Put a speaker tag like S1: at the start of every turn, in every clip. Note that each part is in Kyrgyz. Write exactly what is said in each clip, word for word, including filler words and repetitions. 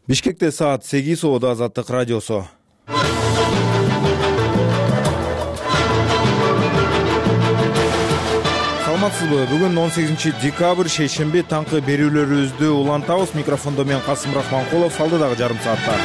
S1: Бишкекте саат сегиз Оодо Азаттык радиосу. Саламатсызбы? Бүгүн он сегизинчи декабрь шейшемби таңкы берүүлөрүбүздү улантабыз. Микрофондо мен Касым Рахманкулов, алдыдагы жарым саатта.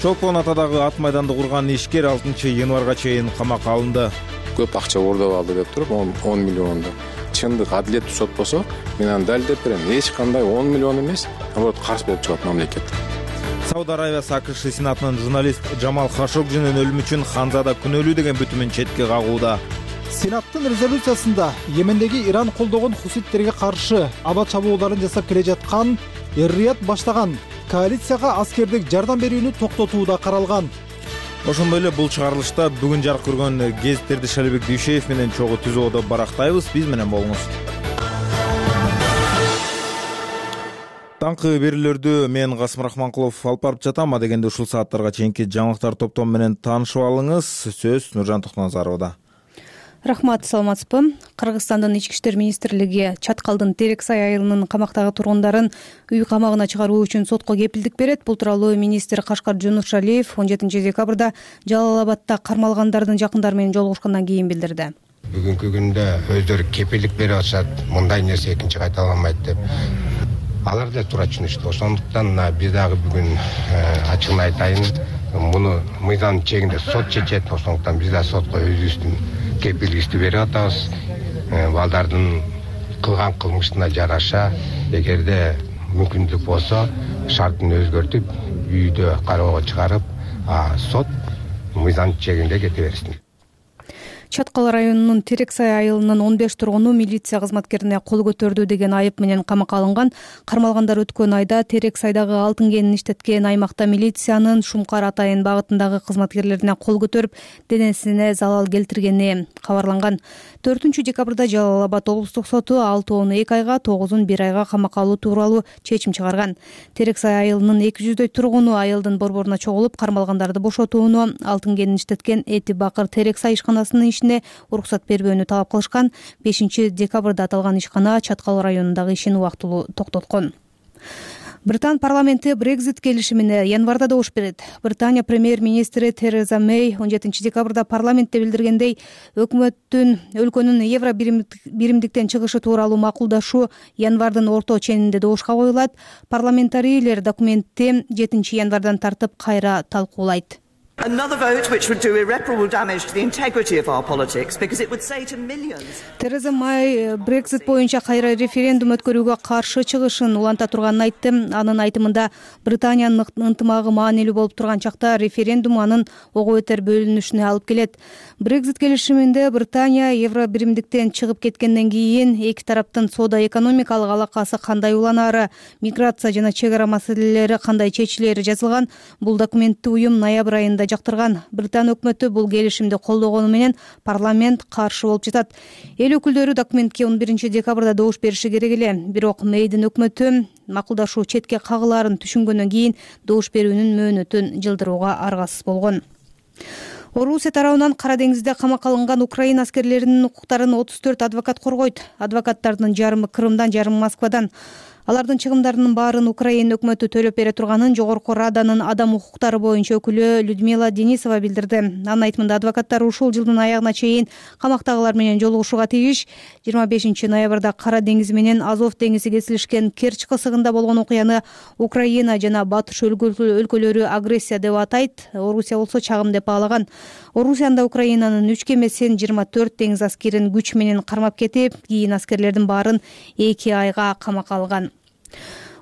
S1: Чолпон Атадагы ат майданды курган ишкер алтынчы январга чейин камакка алынды.
S2: Көп акча оордоп алды деп туруп он миллионду. Чындык адилеттүү сот болсо, мен аны далилдеп берем. Эч кандай он миллион эмес, наоборот каршы болуп чыгат мамлекет.
S1: Сауд Арабиясы АКШ Сенатынын журналист Жамал Хашогжинин өлүмү үчүн Ханзада күнөөлүү деген бүтүмүн четке кагууда.
S3: Сенаттын резолюциясында Йемендеги Иран колдогон хуситтерге каршы аба чабуулдарын жасап келе жаткан Эр-Рияд баштаган коалицияга аскердик жардам берүүнү токтотуу да каралган.
S1: Ошондой эле бул чыгарылышта бүгүн жарык көргөн гезиттерди Шалибек Дүйшеев менен чогуу түз Оодо барактайбыз. Биз менен болуңуз. Таңкы берүүлөрдү мен Касым Рахманкулов алып барып жатам. Адегенде ушул сааттарга чейинки жаңылыктар топтому менен таанышып алыңыз. Сөз Нуржан Токназаровда.
S4: Рахмат, саламатсызбы? Кыргызстандын ички иштер министрлиги Чаткалдын Терексай айылынын камактагы тургундарын үй камагына чыгаруу үчүн сотко кепилдик берет. Бул тууралуу министр Кашкар Жунушалиев он жетинчи декабрда Жалал-Абадта кармалгандардын жакындары менен жолугушкандан кийин билдирди.
S5: Бүгүнкү күндө өздөрү кепилдик берип атышат, мындай нерсе экинчи кайталамайт деп. Алар да туура түшүнүштү. Ошондуктан биз дагы бүгүн ачыгын айтайын, муну мыйзам чегинде сот чечет. Ошондуктан биз да сотко өзүбүздүн кепилдикти берип атабыз. Балдардын кылган кылмышына жараша, эгерде мүмкүндүк болсо, шартын өзгөртүп, үйдө кароого чыгарып, сот мыйзам чегинде кете берсин.
S4: Чаткал районунун Терексай айылынын он беш тургуну милиция кызматкерине кол көтөрдү деген айып менен камакка алынган. Кармалгандар өткөн айда Терексайдагы алтын кенин иштеткен аймакта милициянын Шумкар Атайын багытындагы кызматкерлерине кол көтөрүп, денесине залал келтиргени кабарланган. төртүнчү декабрда Жалал-Абад облустук соту алтоону эки айга, тогузун бир айга камакка алуу тууралуу чечим чыгарган. Терексай айылынын эки жүздөй тургуну айылдын борборуна чогулуп, кармалгандарды бошотууну, алтын кенин иштеткен Эти Бакыр Терексай ишканасынын ишине уруксат бербөөнү талап кылышкан. бешинчи декабрда аталган ишкана Чаткал районундагы ишин убактылуу токтоткон. Британ парламенти Брекзит келишимине январда добуш берет. Британия премьер-министри Тереза Мэй он жетинчи декабрда парламентте билдиргендей, өкмөттүн өлкөнүн евро биримдиктен чыгышы тууралуу макулдашуу январдын орто ченинде добушка коюлат. Парламентарийлер документти жетинчи январдан тартып кайра талкуулайт.
S6: Another vote which would do irreparable damage to the integrity of our politics because it would say to millions.
S4: Тереза Мэй Брексит боюнча кайра референдум өткөрүүгө каршы чыгышын уланта турганын айтты. Анын айтымында Британиянын ынтымагы маанилүү болуп турган чакта референдум анын ого бетер бөлүнүшүнө алып келет. Брексит келишиминде Британия евро биримдиктен чыгып кеткенден кийин эки тараптын соода-экономикалык алакасы кандай уланары, миграция жана чек ара маселелери кандай чечилери жазылган. Бул документти уюм ноябрь айында жактырган. Британ өкмөтү бул келишимди колдогону менен парламент каршы болуп жатат. Эл өкүлдөрү документке он биринчи декабрда добуш бериши керек эле. Бирок Мэйдин өкмөтү макулдашуу четке кагылаарын түшүнгөндөн кийин добуш берүүнүн мөөнөтүн жылдырууга аргасыз болгон. Орусия тарабынан Кара деңизде камакка алынган Украина аскерлеринин укуктарын отуз төрт адвокат коргойт. Адвокаттардын жарымы Крымдан, жарымы Москвадан. Алардын чыгымдарынын баарын Украина өкмөтү төлөп бере турганын Жогорку Раданын адам укуктары боюнча өкүлү Людмила Денисова билдирди. Анын айтымында адвокаттар ушул жылдын аягына чейин камактагылар менен жолугушууга тийиш. жыйырма бешинчи ноябрда Кара деңизи менен Азов деңизи кесилишкен Керчь кысыгында болгон окуяны Украина жана Батыш өлкөлөрү агрессия деп атайт. Орусия болсо чагым деп баалаган. Орусиянда Украинанын үч кемесин, жыйырма төрт деңиз аскерин күч менен кармап кетип, кийин аскерлердин баарын эки айга камакка алган.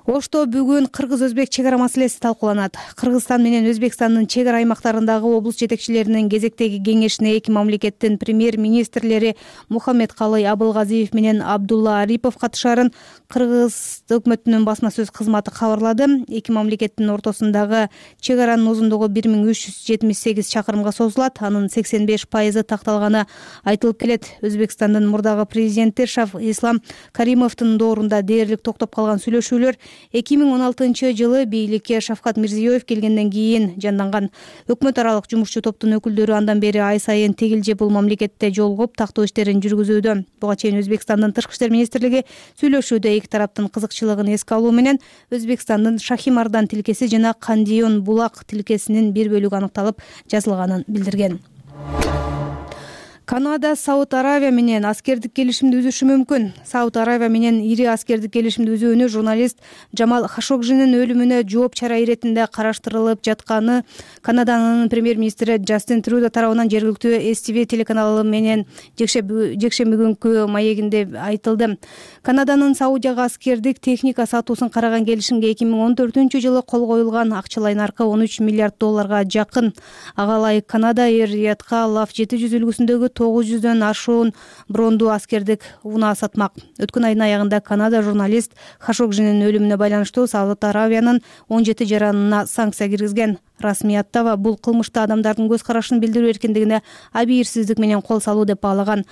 S4: Ошто бүгүн кыргыз-өзбек чек ара маселеси талкууланат. Кыргызстан менен Өзбекстандын чек ара аймактарындагы облус жетекчилеринин кезектеги кеңешине эки мамлекеттин премьер-министрлери Мухаммедкалый Абылгазиев менен Абдулла Арипов катышарын Кыргыз өкмөтүнүн басма сөз кызматы кабарлады. Эки мамлекеттин ортосундагы чек аранын узундугу бир миң үч жүз жетимиш сегиз чакырымга созулат. Анын сексен беш пайызы такталганы айтылып келет. Өзбекстандын мурдагы президенти Шав Ислам Каримовдун доорунда дээрлик токтоп калган сүйлөшүүлөр эки миң он алтынчы жылы бийликке Шавкат Мирзиёев келгенден кийин жанданган. Өкмөт аралык жумушчу топтун өкүлдөрү андан бери ай сайын тегилже бул мамлекетте жолугуп тактоо иштерин жүргүзүүдө. Буга чейин Өзбекстандын Тышкы иштер министрлиги сүйлөшүүдө эки тараптын кызыкчылыгын эске алуу менен Өзбекстандын Шахимардан тилкеси жана Кандион булак тилкесинин бир бөлүгү аныкталып жазылганын билдирген. Канада Сауд Аравия менен аскердик келишимди үзүшү мүмкүн. Сауд Аравия менен ири аскердик келишимди үзүүнү журналист Джамал Хашогжинин өлүмүнө жооп чара иретинде караштырылып жатканы Канаданын премьер-министри Джастин Трюдо тарабынан жергиликтүү эс ти ви телеканалы менен жекшемби күнкү маегинде айтылды. Канаданын Саудияга аскердик техника сатуусун караган келишимге эки миң он төртүнчү жылы кол коюлган, акчалай наркы он үч миллиард долларга жакын. Ага ылайык Канада Эр-Риядка лав жети жүз үлгүсүндөгү тогуз жүздөн ашуун бронду аскердик унаа сатмак. Өткөн айдын аягында Канада журналист Хашогжинин өлүмүнө байланыштуу Сауд Аравиянын он жети жаранына санкция киргизген. Расмияттава бул кылмышты адамдардын көз карашын билдирүү эркиндигине абийирсиздик менен кол салуу деп баалаган.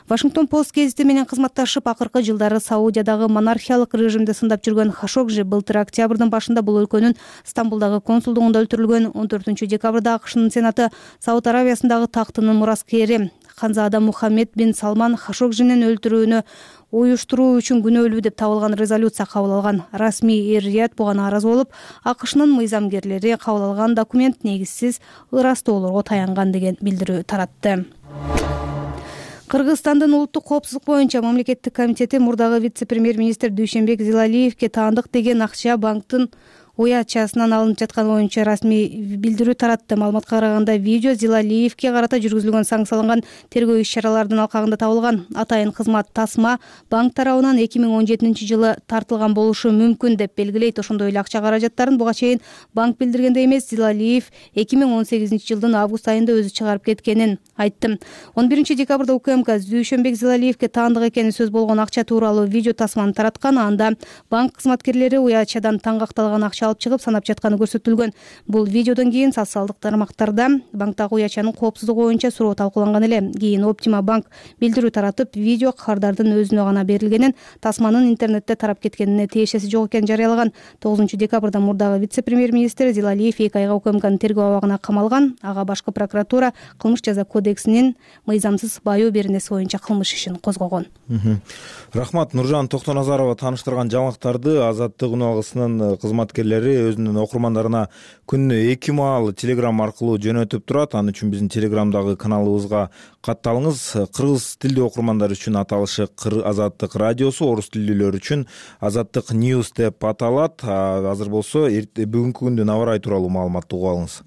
S4: Вашингтон Пост гезити менен кызматташып, акыркы жылдары Саудиядагы монархиялык режимди сындап жүргөн Хашогжи былтыр октябрдын башында бул өлкөнүн Стамбулдагы консулдугунда өлтүрүлгөн. он төртүнчү декабрда АКШнын Сенаты Сауд Аравиясындагы тактынын мураскери Ханзада Мухаммед бин Салман Хашогжинин өлтүрүүнү уюштуруу үчүн күнөөлүү деп табылган резолюция кабыл алган. Расмий Эр-Рияд буга нааразы болуп, АКШнын мыйзамгерлери кабыл алган документ негизсиз ырастоолорго таянган деген билдирүү таратты. Кыргызстандын улуттук коопсуздук боюнча мамлекеттик комитети мурдагы вице-премьер-министр Дүйшөнбек Зилалиевке таандык деген акча банктын уячасынан алынып жатканы боюнча расмий билдирүү таратты. Маалыматка караганда видео Зилалиевке карата жүргүзүлгөн санкцияланган тергөө иш-чаралардын алкагында табылган. Атайын кызмат тасма банк тарабынан эки миң он жетинчи жылы тартылган болушу мүмкүн деп белгилейт. Ошондой эле акча каражаттарын буга чейин банк билдиргендей эмес, Зилалиев эки миң он сегизинчи жылдын август айында өзү чыгарып кеткенин айтты. он биринчи декабрда УКМК Дүйшөнбек Зилалиевке таандык экени сөз болгон акча тууралуу видео тасманы тараткан. Анда банк кызматкерлери уячадан таңгакталган акча алып чыгып санап жатканы көрсөтүлгөн. Бул видеодон кийин социалдык тармактарда банктагы уячанын коопсуздугу боюнча суроо талкууланган эле. Кийин Оптима банк билдирүү таратып, видео кардардын өзүнө гана берилгенин, тасманын интернетте тарап кеткенине тиешеси жок экенин жарыялаган. тогузунчу декабрда мурдагы вице-премьер-министр Зилалиев эки айга УКМКнын тергөө абагына камалган. Ага башкы прокуратура кылмыш жаза кодексинин мыйзамсыз баайоо беренеси боюнча кылмыш ишин козгогон.
S1: Рахмат. Нуржан Токтоназарова тааныштырган жаңылыктарды Азаттык үналгысынын кызматкерлери өзүнүн окурмандарына күнүнө эки маал телеграм аркылуу жөнөтүп турат. Ал үчүн биздин телеграмдагы каналыбызга катталыңыз. Кыргыз тилдүү окурмандар үчүн аталышы Азаттык радиосу, орус тилдүүлөр үчүн Азаттык News деп аталат. Азыр болсо бүгүнкү күндүн аба ырайы тууралуу маалыматты угуп алыңыз.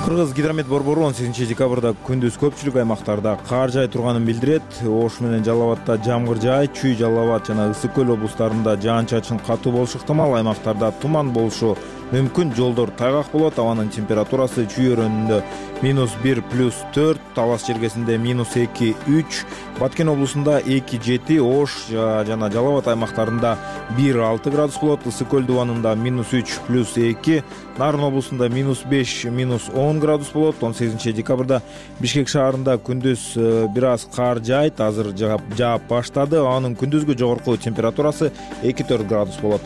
S1: Кыргыз гидромет борбору он сегизинчи декабрда күндүз көпчүлүк аймактарда кар жай турганын билдирет. Ош менен Жалал Абадда жамгыр жай, Чүй, Жалал Абад жана Ысык көл облустарында жаан-чачын катуу болушу ыктымал. Аймактарда туман болушу мүмкүн. Жолдор тайгак болот. Абанын температурасы Чүй өрөөнүндө минус бир плюс төрт, Талас чергесинде минус эки үч, Баткен облусунда эки жети, Ош жана Жалал Абад аймактарында бир алты градус болот. Ысык көл дубанында минус үч плюс эки, Нарын облусунда минус беш, минус он градус болот. он сегизинчи декабрда Бишкек шаарында күндүз бир аз кар жайт, азыр жаап баштады. Анын күндүзгү жогорку температурасы эки төрт градус болот.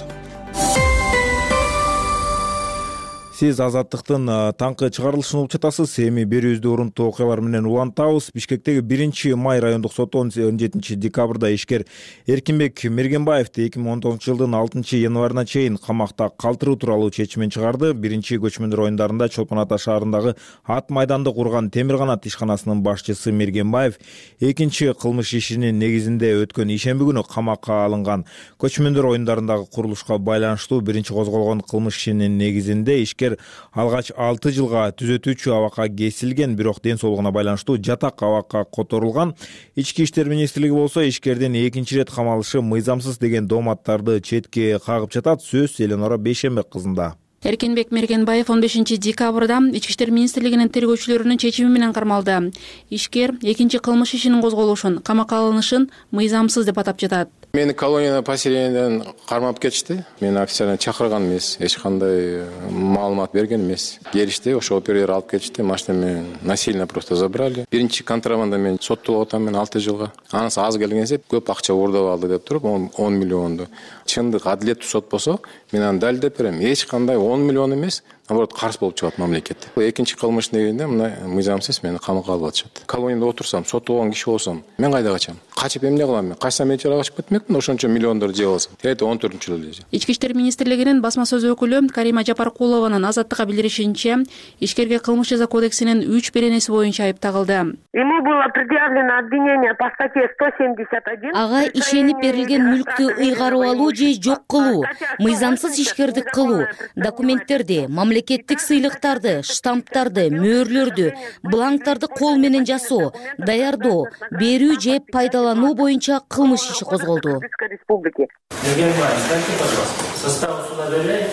S1: Сиз Азаттыктын таңкы чыгарылышын угуп жатасыз. Эми берүүбүздү урунтуу окуялар менен улантабыз. Бишкектеги биринчи май райондук соту он жетинчи декабрда ишкер Эркинбек Мергенбаевди эки миң он тогузунчу жылдын алтынчы январына чейин камакта калтыруу тууралуу чечимин чыгарды. Биринчи көчмөндөр оюндарында Чолпон Ата шаарындагы ат майданды курган Темир канат ишканасынын башчысы Мергенбаев экинчи кылмыш ишинин негизинде өткөн ишемби күнү камакка алынган. Көчмөндөр оюндарындагы курулушка байланыштуу биринчи козголгон кылмыш ишинин негизинде ишкер алгач алты жылга түзөтүүчү абакка кесилген, бирок ден соолугуна байланыштуу жатак абакка которулган. Ички иштер министрлиги болсо ишкердин экинчи ирет камалышы мыйзамсыз деген дооматтарды четке кагып жатат. Сөз Эленора Бейшембек кызында.
S7: Эркинбек Мергенбаев он бешинчи декабрда Ички иштер министрлигинин тергөөчүлөрүнүн чечими менен кармалды. Ишкер экинчи кылмыш ишинин козголушун, камакка алынышын мыйзамсыз деп атап жатат.
S2: Мени колониядан поселениеден кармап кетишти. Мени официально чакырган эмес, эч кандай маалымат берген эмес. Келишти, ошо оператор алып кетишти. Машина менен насильно просто забрали. Биринчи контрабанда мен соттолуп атам, мен алты жылга. Анысы аз келгенсе көп акча уурдап алды деп туруп он миллионду. Чындык адилеттүү сот болсо, мен аны далилдеп берем. Эч кандай он миллион эмес, наоборот карыз болуп чыгат мамлекет. Экинчи кылмыш дегенде мына мыйзамсыз мени камакка алып атышат. Колонияда отурсам, сотолгон киши болсом, мен кайда качам? Качып эмне кылам мен? Качсам эч жака качып кетмекмин, ошончо миллиондор жеп алсам. Тегерде он төртүнчү жылы эле.
S7: Ички иштер министрлигинин басма сөз өкүлү Карима Жапаркулованын Азаттыкка билдиришинче, ишкерге кылмыш жаза кодексинин үч беренеси боюнча айып тагылды.
S8: Ему было предъявлено обвинение по статье сто семьдесят один.
S9: Ага ишенип берилген мүлктү ыйгарып алуу же жок кылуу, мыйзамсыз ишкердик кылуу, документтерди, мамлекеттик сыйлыктарды, штамптарды, мөөрлөрдү, бланктарды кол менен жасоо, даярдоо, берүү же пайдалануу боюнча кылмыш иши козголду.
S10: Состав суда доверяете?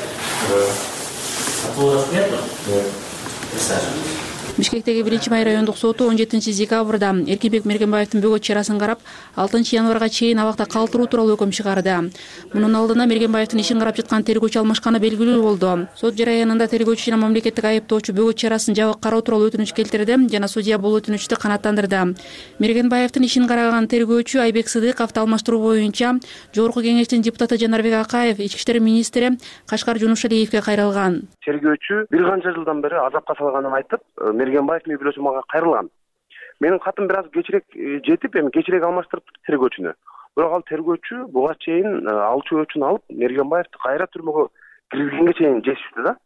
S10: Да. Отводов нету? Нет. Присаживайтесь.
S7: Бишкектеги биринчи май райондук соту он жетинчи декабрда Эркинбек Мергенбаевдин бөгөт чарасын карап, алтынчы январга чейин абакта калтыруу тууралуу өкүм чыгарды. Мунун алдында Мергенбаевдин ишин карап жаткан тергөөчү алмашканы белгилүү болду. Сот жараянында тергөөчү жана мамлекеттик айыптоочу бөгөт чарасын жабык кароо тууралуу өтүнүч келтирди жана судья бул өтүнүчтү канааттандырды. Мергенбаевдин ишин караган тергөөчү Айбек Сыдыковду алмаштыруу боюнча Жогорку кеңештин депутаты Жанарбек Акаев ички иштер министри Кашкар Жунушалиевге кайрылган.
S11: Тергөөчү бир канча жылдан бери азапка салганын айтып, Мергенбаев үй бүлөсү мага кайрылган. Менин катым бир аз кечирээк жетип, эми кечирээк алмаштырып тергөөчүнү. Бирок ал тергөөчү буга чейин алчу өчүн алып, Мергенбаевди кайра түрмөгө киргизгенге чейин жетишти да.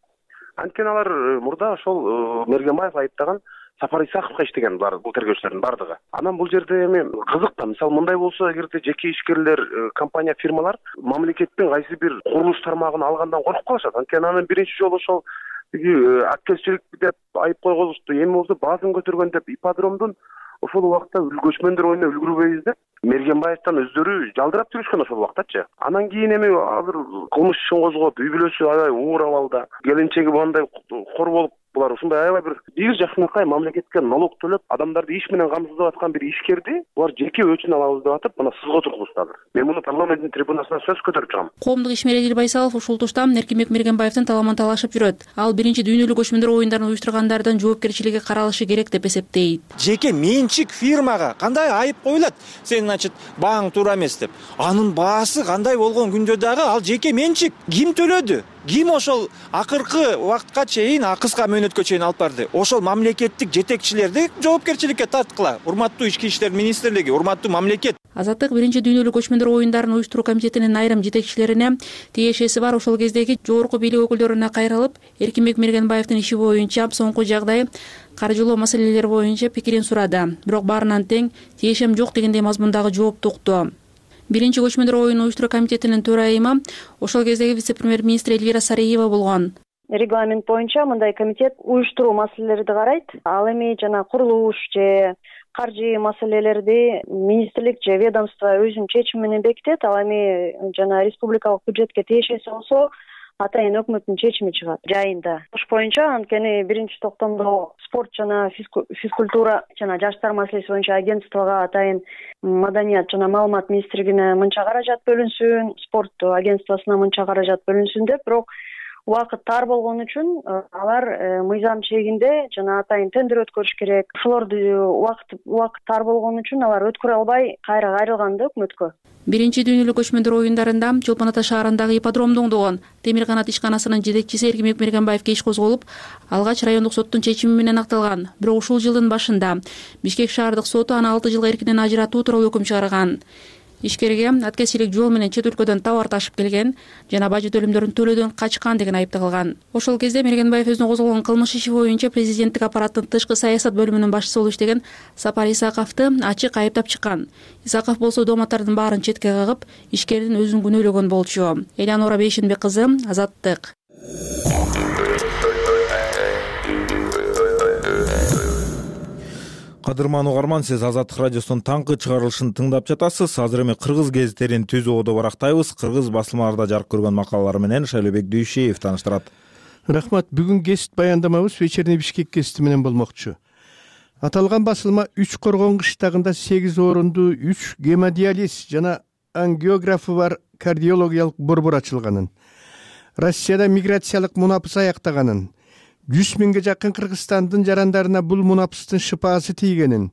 S11: Анткени алар мурда ошол Мергенбаев айыптаган Сапар Исаковго иштеген булар, бул тергөөчүлөрдүн бардыгы. Анан бул жерде эми кызык да, мисалы мындай болсо, эгерде жеке ишкерлер, компания, фирмалар мамлекеттин кайсы бир курулуш тармагын алгандан коркуп калышат. Анткени анын биринчи жолу ошол аккелчилик деп айып койгузушту. Эми болсо баазын көтөргөн деп ипподромдун ошол убакта көчмөндөр оюна үлгүрбөйбүз деп Мергенбаевден өздөрү жалдырап жүрүшкөн ошол убактачы. Анан кийин эми азыр кылмыш ишин козгоп, үй бүлөсү аябай уур абалда, келинчеги мындай кор болуп, булар ушундай аябай бир бир жакшынакай мамлекетке налог төлөп, адамдарды иш менен камсыздап аткан бир ишкерди булар жеке өчүн алабыз деп атып, мына сызга тургузушту азыр. Мен муну парламенттин трибунасына сөз көтөрүп чыгам.
S7: Коомдук ишмер Эдил Байсалов ушул тушта Эркинбек Мергенбаевдин таламын талашып жүрөт. Ал биринчи дүйнөлүк көчмөндөр оюндарын уюштургандардын жоопкерчилиги каралышы керек деп эсептейт.
S12: Жеке менчик фирмага кандай айып коюлат? Сен, значит, бааң туура эмес деп. Анын баасы кандай болгон күндө дагы ал жеке менчик. Ким төлөдү? Ким ошол акыркы убакытка чейин, кыска мөөнөткө чейин алып барды? Ошол мамлекеттик жетекчилерди жоопкерчиликке тарткыла. Урматтуу ички иштер министрлиги, урматтуу мамлекет.
S7: Азаттык биринчи дүйнөлүк көчмөндөр оюндарын уюштуруу комитетинин айрым жетекчилерине тиешеси бар ошол кездеги жогорку бийлик өкүлдөрүнө кайрылып, Эркинбек Мергенбаевдин иши боюнча соңку жагдай каржылоо маселелери боюнча пикирин сурады. Бирок баарынан тең тиешем жок дегендей мазмундагы жоопту укту. Биринчи көчмөндөр оюн уюштуруу комитетинин төрайымы ошол кездеги вице-премьер-министр Эльвира Сариева болгон.
S8: Регламент боюнча мындай комитет уюштуруу маселелерди карайт. Ал эми жана курулуш же каржы маселелерди министрлик же ведомство өзүнүн чечими менен бекитет. Ал эми жана республикалык бюджетке тиешеси болсо атайын өкмөттүн чечими чыгат жайында. Ош боюнча анткени биринчи токтомдо спорт жана физкультура жана жаштар маселеси боюнча агентствого атайын маданият жана маалымат министрлигине мынча каражат бөлүнсүн, спорт агентствосуна мынча каражат бөлүнсүн деп, бирок убакыт тар болгон үчүн алар мыйзам чегинде жана атайын тендер өткөрүш керек. Ошолорду убакыт убакыт тар болгон үчүн алар өткөрө албай кайра кайрылган да өкмөткө.
S7: Биринчи дүйнөлүк көчмөндөр оюндарында Чолпон Ата шаарындагы ипподромду оңдогон Темир канат ишканасынын жетекчиси Эркинбек Мергенбаевге иш козголуп, алгач райондук соттун чечими менен акталган. Бирок ушул жылдын башында Бишкек шаардык соту аны алты жылга эркинен ажыратуу тууралуу өкүм чыгарган. Ишкерге аткезчилик жол менен чет өлкөдөн товар ташып келген жана бажы төлөмдөрүн төлөөдөн качкан деген айып тагылган. Ошол кезде Мергенбаев өзүнө козголгон кылмыш иши боюнча президенттик аппараттын тышкы саясат бөлүмүнүн башчысы болуп иштеген Сапар Исаковду ачык айыптап чыккан. Исаков болсо дооматтардын баарын четке кагып, ишкердин өзүн күнөөлөгөн болчу. Элянора Бейшенбек кызы, Азаттык.
S1: Кадырман угарман, сиз Азаттык радиосунун таңкы чыгарылышын тыңдап жатасыз. Азыр эми кыргыз гезиттерин түзүү оодо барактайбыз. Кыргыз басылмаларда жарык көргөн макалалар менен Шайлообек Дүйшеев тааныштырат.
S13: Рахмат. Бүгүн гезит баяндамабыз Вечерний Бишкек гезити менен болмокчу. Аталган басылма үч коргон кыштагында сегиз орунду үч гемодиализ жана ангиографы бар кардиологиялык борбор ачылганын, Россияда миграциялык мунапыс аяктаганын, жүз миңге жакын Кыргызстандын жарандарына бул мунапыстын шыпаасы тийгенин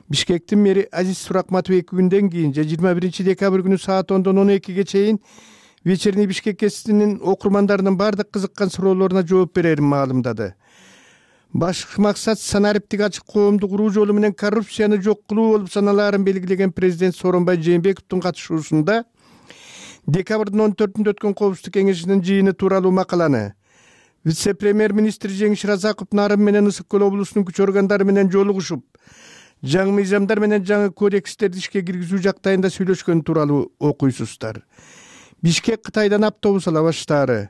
S13: Бишкектин мэри Азиз Суракматов эки күндөн кийин жыйырма биринчи декабрь күнү саат ондон он экиге чейин Вечерний Бишкек гезитинин окурмандарынын бардык кызыккан суроолоруна жооп берерин маалымдады. Башкы максат санариптик ачык коомду куруу жолу менен коррупцияны жок кылуу болуп саналаарын белгилеген президент Сооронбай Жээнбековдун катышуусунда декабрдын он төртүндө өткөн Коопсуздук кеңешинин жыйыны тууралуу макаланы вице-премьер-министр Жеңиш Разаков Нарын менен Ысык Көл облусунун күч органдары менен жолугушуп, жаңы мыйзамдар менен жаңы кодекстерди ишке киргизүү жактайында сүйлөшкөн тууралуу окуйсуздар. Бишкек Кытайдан автобус ала баштаары.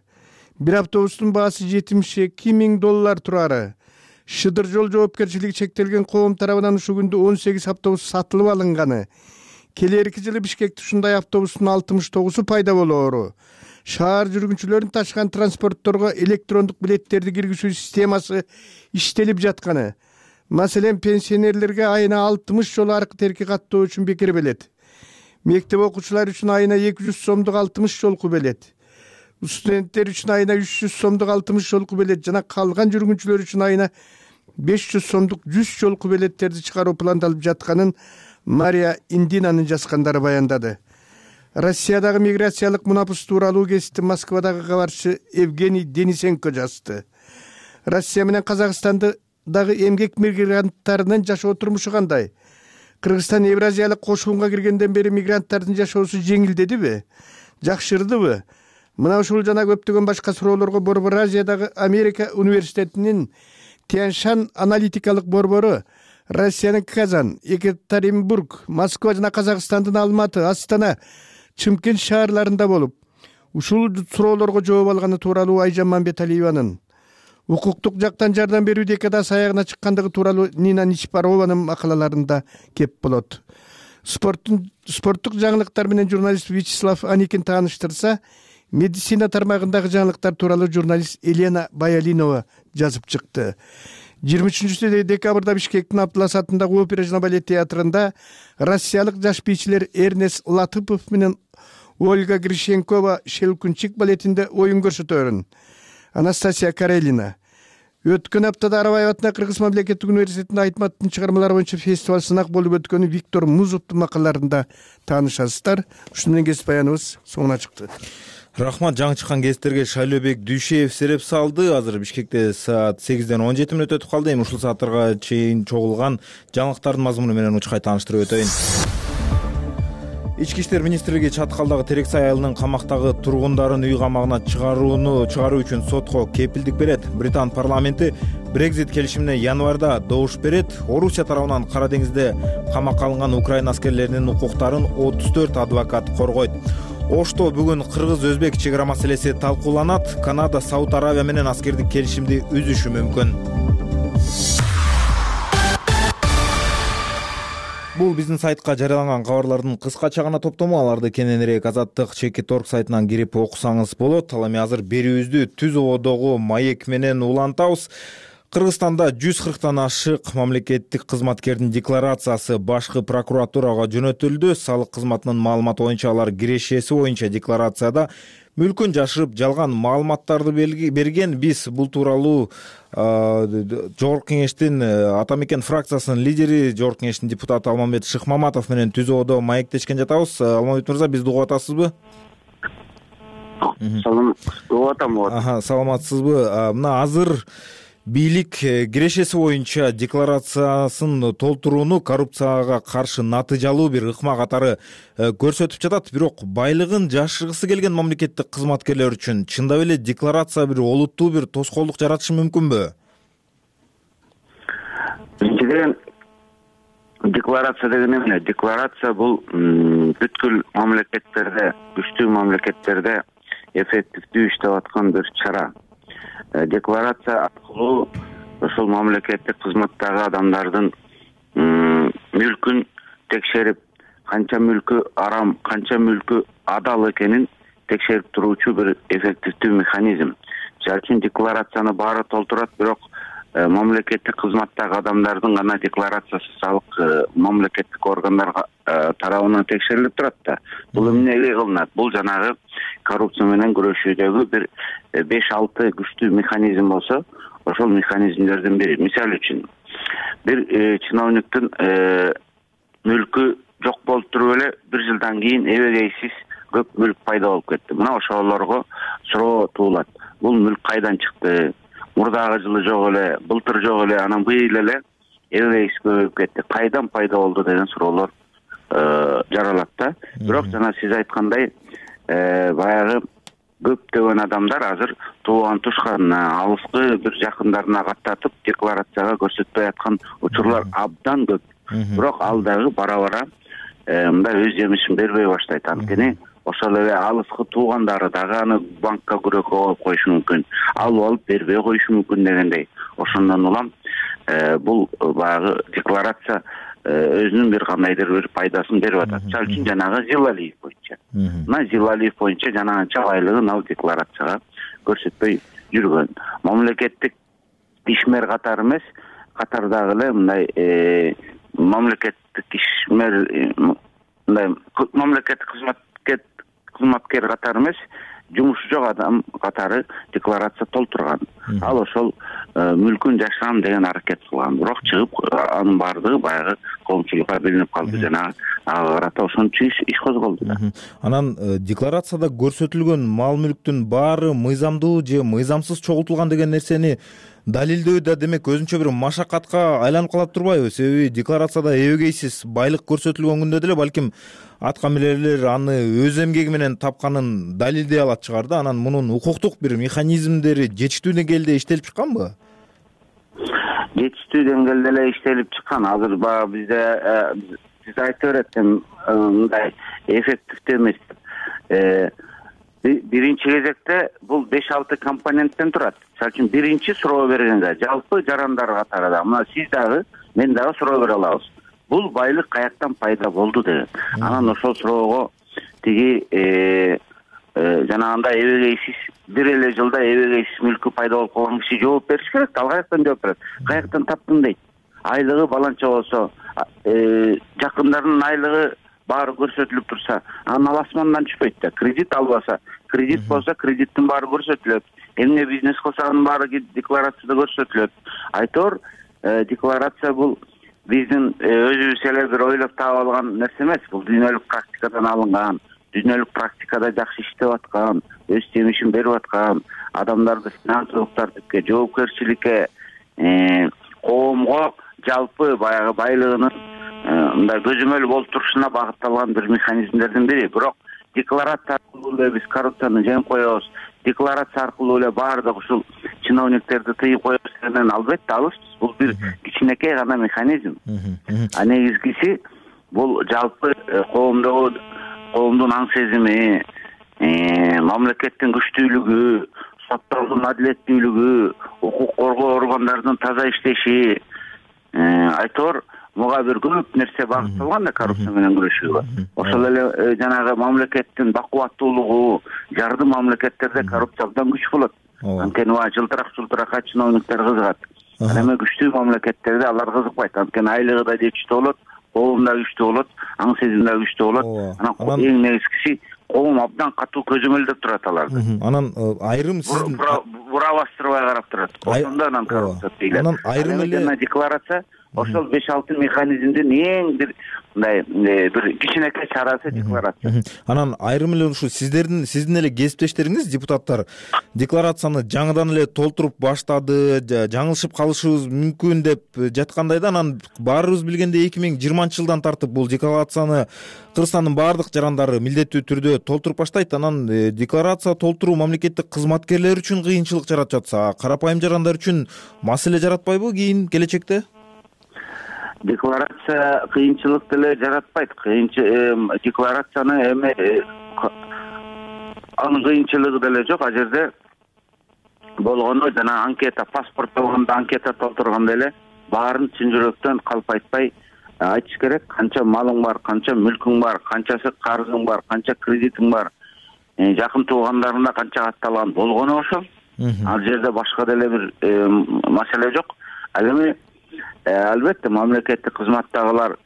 S13: Бир автобустун баасы жетимиш эки миң доллар турары. Шыдыр жол жоопкерчилиги чектелген коом тарабынан ушул күндө он сегиз автобус сатылып алынганы. Келерки жылы Бишкекте ушундай автобустун алтымыш тогузу пайда болоору. Шаар жүргүнчүлөрүн ташкан транспортторго электрондук билеттерди киргизүү системасы иштелип жатканы. Маселен, пенсионерлерге айына алтымыш жолу аркы терки каттоо үчүн бекер белет. Мектеп окуучулары үчүн айына эки жүз сомдук алтымыш жолку белет. Студенттер үчүн айына үч жүз сомдук алтымыш жолку белет жана калган жүргүнчүлөр үчүн айына беш жүз сомдук жүз жолку белеттерди чыгаруу пландалып жатканын Мария Индинанын жазгандары баяндады. Россиядагы миграциялык мунапыс тууралуу гезитти Москвадагы кабарчы Евгений Денисенко жазды. Россия менен Казакстандагы эмгек мигранттарынын жашоо турмушу кандай? Кыргызстан Евразиялык кошулунга киргенден бери мигранттардын жашоосу жеңилдедиби? Жакшырдыбы? Мына ушул жана көптөгөн башка суроолорго Борбор Азиядагы Америка университетинин Тяньшан аналитикалык борбору Россиянын Казан, Екатеринбург, Москва жана Казакстандын Алматы, Астана, Чымкент шаарларында болуп, ушул суроолорго жооп алганы тууралуу Айжан Мамбеталиеванын, укуктук жактан жардам берүү декадасы аягына чыккандыгы тууралуу Нина Ничпарованын макалаларында кеп болот. Спорттун спорттук жаңылыктар менен журналист Вячеслав Аникин тааныштырса, медицина тармагындагы жаңылыктар тууралуу журналист Елена Баялинова жазып чыкты. жыйырма үчүнчү декабрда Бишкектин Абдулас атындагы опера жана балет театрында россиялык жаш бийчилер Эрнест Латыпов менен Ольга Грищенкова Шелкунчик балетинде оюн көрсөтөрүн. Анастасия Карелина. Өткөн аптада Арабаев атындагы Кыргыз мамлекеттик университетинде Айтматтын чыгармалары боюнча фестиваль сынак болуп өткөнү Виктор Музовдун макалаларында таанышасыздар. Ушуну менен кесип баяныбыз соңуна чыкты.
S1: Рахмат, жаңы чыккан гезиттерге Шайлообек Дүйшеев сереп салды. Азыр Бишкекте саат сегизден он жети мүнөт өтүп калды. Эми ушул сааттарга чейин чогулган жаңылыктардын мазмуну менен учкай тааныштырып өтөйүн. Ички иштер министрлиги Чаткалдагы Терексай айылынын камактагы тургундарын үй камагына чыгарууну чыгаруу үчүн сотко кепилдик берет. Британ парламенти Брекзит келишимине январда добуш берет. Орусия тарабынан Кара деңизде камакка алынган Украина аскерлеринин укуктарын отуз төрт адвокат коргойт. Ошто бүгүн кыргыз-өзбек чек ара маселеси талкууланат. Канада Сауд Аравия менен аскердик келишимди үзүшү мүмкүн. Бул биздин сайтка жарыяланган кабарлардын кыскача гана топтому. Аларды кененирээк Азаттык Чекит орг сайтынан кирип окусаңыз болот. Ал эми азыр берүүбүздү Түз ободогу маек менен улантабыз. Кыргызстанда жүз кырктан ашык мамлекеттик кызматкердин декларациясы башкы прокуратурага жөнөтүлдү. Салык кызматынын маалыматы боюнча алар кирешеси боюнча декларацияда мүлкүн жашырып жалган маалыматтарды берген. Биз бул тууралуу Жогорку кеңештин Ата мекен фракциясынын лидери, Жогорку кеңештин депутаты Алмамбет Шыкмаматов менен Түз ободо маектешкен жатабыз. Алмамбет мырза, бизди угуп атасызбы?
S14: Салам, угуп атам.
S1: Аха, саламатсызбы? Мына азыр бийлик кирешеси боюнча декларациясын толтурууну коррупцияга каршы натыйжалуу бир ыкма катары көрсөтүп жатат. Бирок байлыгын жашыргысы келген мамлекеттик кызматкерлер үчүн чындап эле декларация бир олуттуу бир тоскоолдук жаратышы мүмкүнбү?
S14: Биринчиден, декларация деген эмне? Декларация бул бүткүл мамлекеттерде, күчтүү мамлекеттерде эффективдүү иштеп аткан бир чара. Декларация аркылуу ошол мамлекеттик кызматтагы адамдардын мүлкүн текшерип, канча мүлкү арам, канча мүлкү адал экенин текшерип туруучу бир эффективдүү механизм. Жал үчүн декларацияны баары толтурат, бирок мамлекеттик кызматтагы адамдардын гана декларациясы салык мамлекеттик органдар тарабынан текшерилип турат да. Бул эмнеге кылынат? Бул жанагы коррупция менен күрөшүүдөгү бир беш алты күчтүү механизм болсо, ошол механизмдердин бири. Мисалы үчүн бир чиновниктин мүлкү жок болуп туруп эле бир жылдан кийин эбегейсиз көп мүлк пайда болуп кетти. Мына ошолорго суроо туулат. Бул мүлк кайдан чыкты? Мурдагы жылы жок эле, былтыр жок эле, анан быйыл эле эбегейсиз көбөйүп кетти. Кайдан пайда болду деген суроолор жаралат да. Бирок жана сиз айткандай, баягы көптөгөн адамдар азыр тууган тушканына, алыскы бир жакындарына каттатып декларацияга көрсөтпөй аткан учурлар абдан көп. Бирок ал дагы бара-бара мындай өз жемишин бербей баштайт. Анткени ошол эле алыскы туугандары дагы аны банкка күрөккө коюп коюшу мүмкүн, алып алып бербей коюшу мүмкүн дегендей. Ошондон улам бул баягы декларация өзүнүн бир кандайдыр бир пайдасын берип атат. Мисалы үчүн жанагы Зилалиев боюнча. Мына Зилалиев боюнча жанагынча байлыгын ал декларацияга көрсөтпөй жүргөн. Мамлекеттик ишмер катары эмес, катардагы эле мындай мамлекеттик ишмер мындай мамлекеттик кызматкер кызматкер катары эмес, жумушу жок адам катары декларация толтурган. Ал ошол мүлкүн жашырам деген аракет кылган. Бирок чыгып анын баардыгы баягы коомчулукка билинип калды. Жана ага карата ошончо иш козголду да.
S1: Анан декларацияда көрсөтүлгөн мал мүлктүн баары мыйзамдуу же мыйзамсыз чогултулган деген нерсени далилдөө да демек өзүнчө бир машакатка айланып калат турбайбы? Себеби декларацияда эбегейсиз байлык көрсөтүлгөн күндө деле балким аткамилерлер аны өз эмгеги менен тапканын далилдей алат чыгар да. Анан мунун укуктук бир механизмдери жетиштүү деңгээлде иштелип чыкканбы?
S14: Жетиштүү деңгээлде эле иштелип чыккан. Азыр баягы бизде сиз айтып берет мындай эффективдүү эмес деп. Биринчи кезекте бул беш алты компоненттен турат. Мисалы үчүн биринчи суроо бергенде жалпы жарандар катарында мына сиз дагы мен дагы суроо бере алабыз. Бул байлык каяктан пайда болду деген. Анан ошол суроого тиги жанагындай эбегейсиз бир эле жылда эбегейсиз мүлкү пайда болуп калган киши жооп бериш керек. Ал каяктан жооп берет? Каяктан таптың дейт. Айлыгы баланча болсо, жакындарынын айлыгы баары көрсөтүлүп турса, анан ал асмандан түшпөйт да. Кредит албаса, кредит болсо, кредиттин баары көрсөтүлөт. Эмне бизнес кылса анын баары декларацияда көрсөтүлөт. Айтор, декларация бул биздин өзүбүз эле бир ойлоп таап алган нерсе эмес. Бул дүйнөлүк практикадан алынган, дүйнөлүк практикада жакшы иштеп аткан, өз жемишин берип аткан, адамдарды финансылык тартипке, жоопкерчиликке, коомго жалпы баягы байлыгынын мындай көзөмөл болуп турушуна багытталган бир механизмдердин бири. Бирок декларация аркылуу эле биз коррупцияны жеңип коебуз, декларация аркылуу эле баардык ушул чиновниктерди тыйып коебуз дегенден албетте алыспыз. Бул бир кичинекей гана механизм. А негизгиси бул жалпы коомдогу коомдун аң сезими, мамлекеттин күчтүүлүгү, соттордун адилеттүүлүгү, укук коргоо органдарынын таза иштеши, айтор буга бир көп нерсе багытталган да коррупция менен күрөшүүгө. Ошол эле жанагы мамлекеттин бакубаттуулугу, жардым мамлекеттерде коррупция абдан күч болот. Анткени ва жылтырак-жылтыракка чиновниктер кызыгат. Ал эми күчтүү мамлекеттерде алар кызыкпайт. Анткени айлыгы да жетиштүү болот, коом да күчтүү болот, аң сезим да күчтүү болот. Анан эң негизгиси коом абдан катуу көзөмөлдөп турат аларды.
S1: Анан айрым сиздин
S14: бура бастырбай карап турат. Ошондо анан коррупция тийилет. Анан айрым эле декларация ошол беш алты механизмдин эң бир мындай бир кичинекей чарасы декларация.
S1: Анан айрым эле ушу сиздердин сиздин эле кесиптештериңиз депутаттар декларацияны жаңыдан эле толтуруп баштады, жаңылышып калышыбыз мүмкүн деп жаткандай да. Анан баарыбыз билгендей эки миң жыйырманчы жылдан тартып бул декларацияны Кыргызстандын баардык жарандары милдеттүү түрдө толтуруп баштайт. Анан декларация толтуруу мамлекеттик кызматкерлер үчүн кыйынчылык жаратып жатса, карапайым жарандар үчүн маселе жаратпайбы кийин келечекте?
S14: Декларация кыйынчылык деле жаратпайт. Декларацияны эми анын кыйынчылыгы деле жок. А жерде болгону жана анкета, паспорт болгондо анкета толтурганда эле баарын чын жүрөктөн калп айтпай айтыш керек. Канча малың бар, канча мүлкүң бар, канчасы карызың бар, канча кредитиң бар, жакын туугандарына канча катталган болгону ошол. Ал жерде башка деле бир маселе жок. Ал эми албетте мамлекеттик кызматтагылар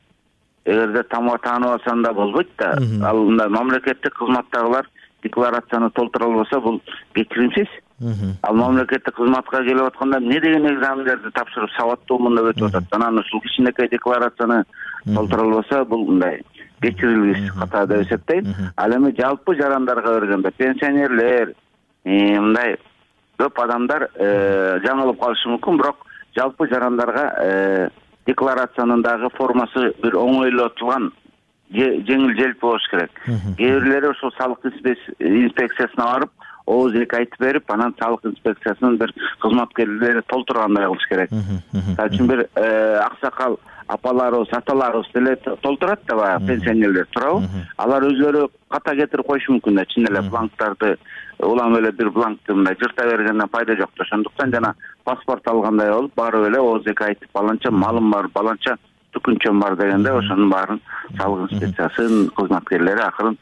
S14: эгерде таанып алсаң да болбойт да. Ал мындай мамлекеттик кызматтагылар декларацияны толтура албаса бул кечиримсиз. Ал мамлекеттик кызматка келип атканда эмне деген экзамендерди тапшырып сабаттуу мында өтүп атат. Анан ушул кичинекей декларацияны толтура албаса бул мындай кечирилгис ката деп эсептейм. Ал эми жалпы жарандарга бергенде пенсионерлер, мындай көп адамдар жаңылып калышы мүмкүн, бирок жалпы жарандарга декларациянын дагы формасы бир оңойлотулган, жеңил желпи болуш керек. Кээ бирлери ошол салык инспекциясына барып, ооз эки айтып берип, анан салык инспекциясынын бир кызматкерлери толтургандай кылыш керек. Ал үчүн бир аксакал апаларыбыз, аталарыбыз деле толтурат да баягы пенсионерлер, туурабы? Алар өзлөрү ката кетирип коюшу мүмкүн да, чын эле бланктарды улам эле бир бланкты мындай жырта бергенден пайда жок да. Ошондуктан жана паспорт алгандай болуп, барып эле ооз эки айтып, баланча малым бар, баланча түкүнчөм бар дегенде ошонун баарын салык инспекциясынын кызматкерлери акырын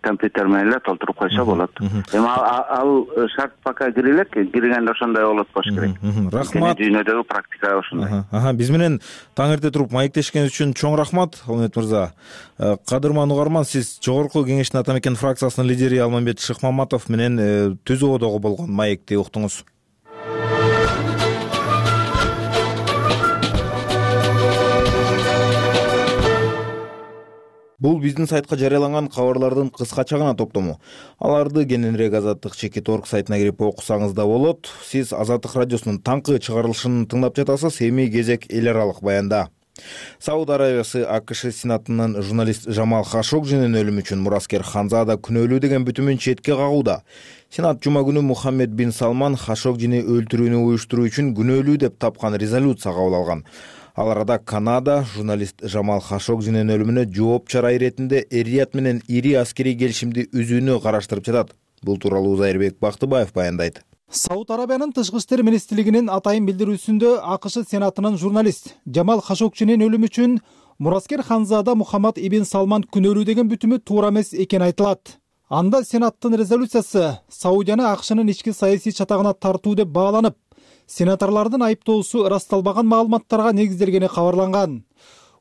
S14: компьютер менен эле толтуруп койсо болот. Эми ал шарт пока кире элек, киргенде ошондой болот болуш керек.
S1: Рахмат.
S14: Дүйнөдөгү практика ошондой.
S1: Аха, биз менен таң эрте туруп маектешкениңиз үчүн чоң рахмат, Алмамбет мырза. Кадырман угарман, сиз Жогорку Кеңештин Ата Мекен фракциясынын лидери Алмамбет Шыкмаматов менен түз оодогу болгон маекти уктуңуз. Бул биздин сайтка жарыяланган кабарлардын кыскача гана топтому. Аларды кененирээк Азаттык чекит орг сайтына кирип окусаңыз да болот. Сиз Азаттык радиосунун таңкы чыгарылышын тыңдап жатасыз. Эми кезек эл аралык баянда. Сауд Арабиясы АКШ Сенатынын журналист Жамал Хашогжинин өлүмү үчүн мураскер Ханзада күнөөлүү деген бүтүмүн четке кагууда. Сенат жума күнү Мухаммед бин Салман Хашогжини өлтүрүүнү уюштуруу үчүн күнөөлүү деп тапкан резолюция кабыл алган. Ал арада Канада журналист Жамал Хашогжинин өлүмүнө жооп чара иретинде Эр-Рият менен ири аскерий келишимди үзүүнү караштырып жатат. Бул тууралуу Зайырбек Бактыбаев баяндайт.
S3: Сауд Арабиянын тышкы иштер министрлигинин атайын билдирүүсүндө АКШ Сенатынын журналист Жамал Хашогжинин өлүмү үчүн мураскер Ханзада Мухаммад ибн Салман күнөөлүү деген бүтүмү туура эмес экени айтылат. Анда Сенаттын резолюциясы Саудияны АКШнын ички саясий чатагына тартуу деп бааланып, сенаторлордун айыптоосу ырасталбаган маалыматтарга негизделгени кабарланган.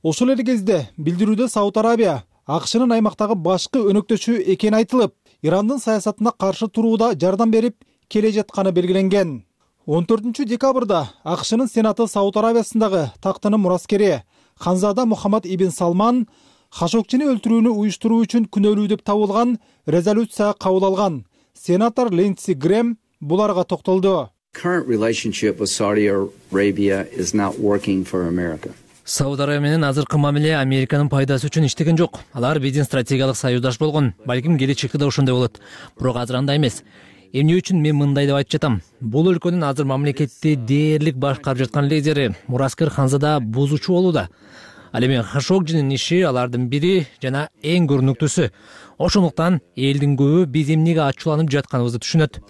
S3: Ошол эле кезде билдирүүдө Сауд Арабия АКШнын аймактагы башкы өнөктөшү экени айтылып, Ирандын саясатына каршы турууда жардам берип келе жатканы белгиленген. он төртүнчү декабрда АКШнын Сенаты Сауд Арабиясындагы тактынын мураскери Ханзада Мухаммад ибн Салман Хашогжини өлтүрүүнү уюштуруу үчүн күнөөлүү деп табылган резолюция кабыл алган. Сенатор Линдси Грэм буларга токтолду.
S15: Current relationship with Saudi Arabia is not working for America.
S16: Сауд Арабия менен азыркы мамиле Американын пайдасы үчүн иштеген жок. Алар биздин стратегиялык союздаш болгон. Балким келечекте да ошондой болот. Бирок азыр андай эмес. Эмне үчүн мен мындай деп айтып жатам? Бул өлкөнүн азыр мамлекетти дээрлик башкарып жаткан лидери мураскер Ханзада бузуучу болууда. Ал эми Хашогжинин иши алардын бири жана эң көрүнүктүүсү. Ошондуктан элдин көбү биз эмнеге ачууланып жатканыбызды түшүнөт.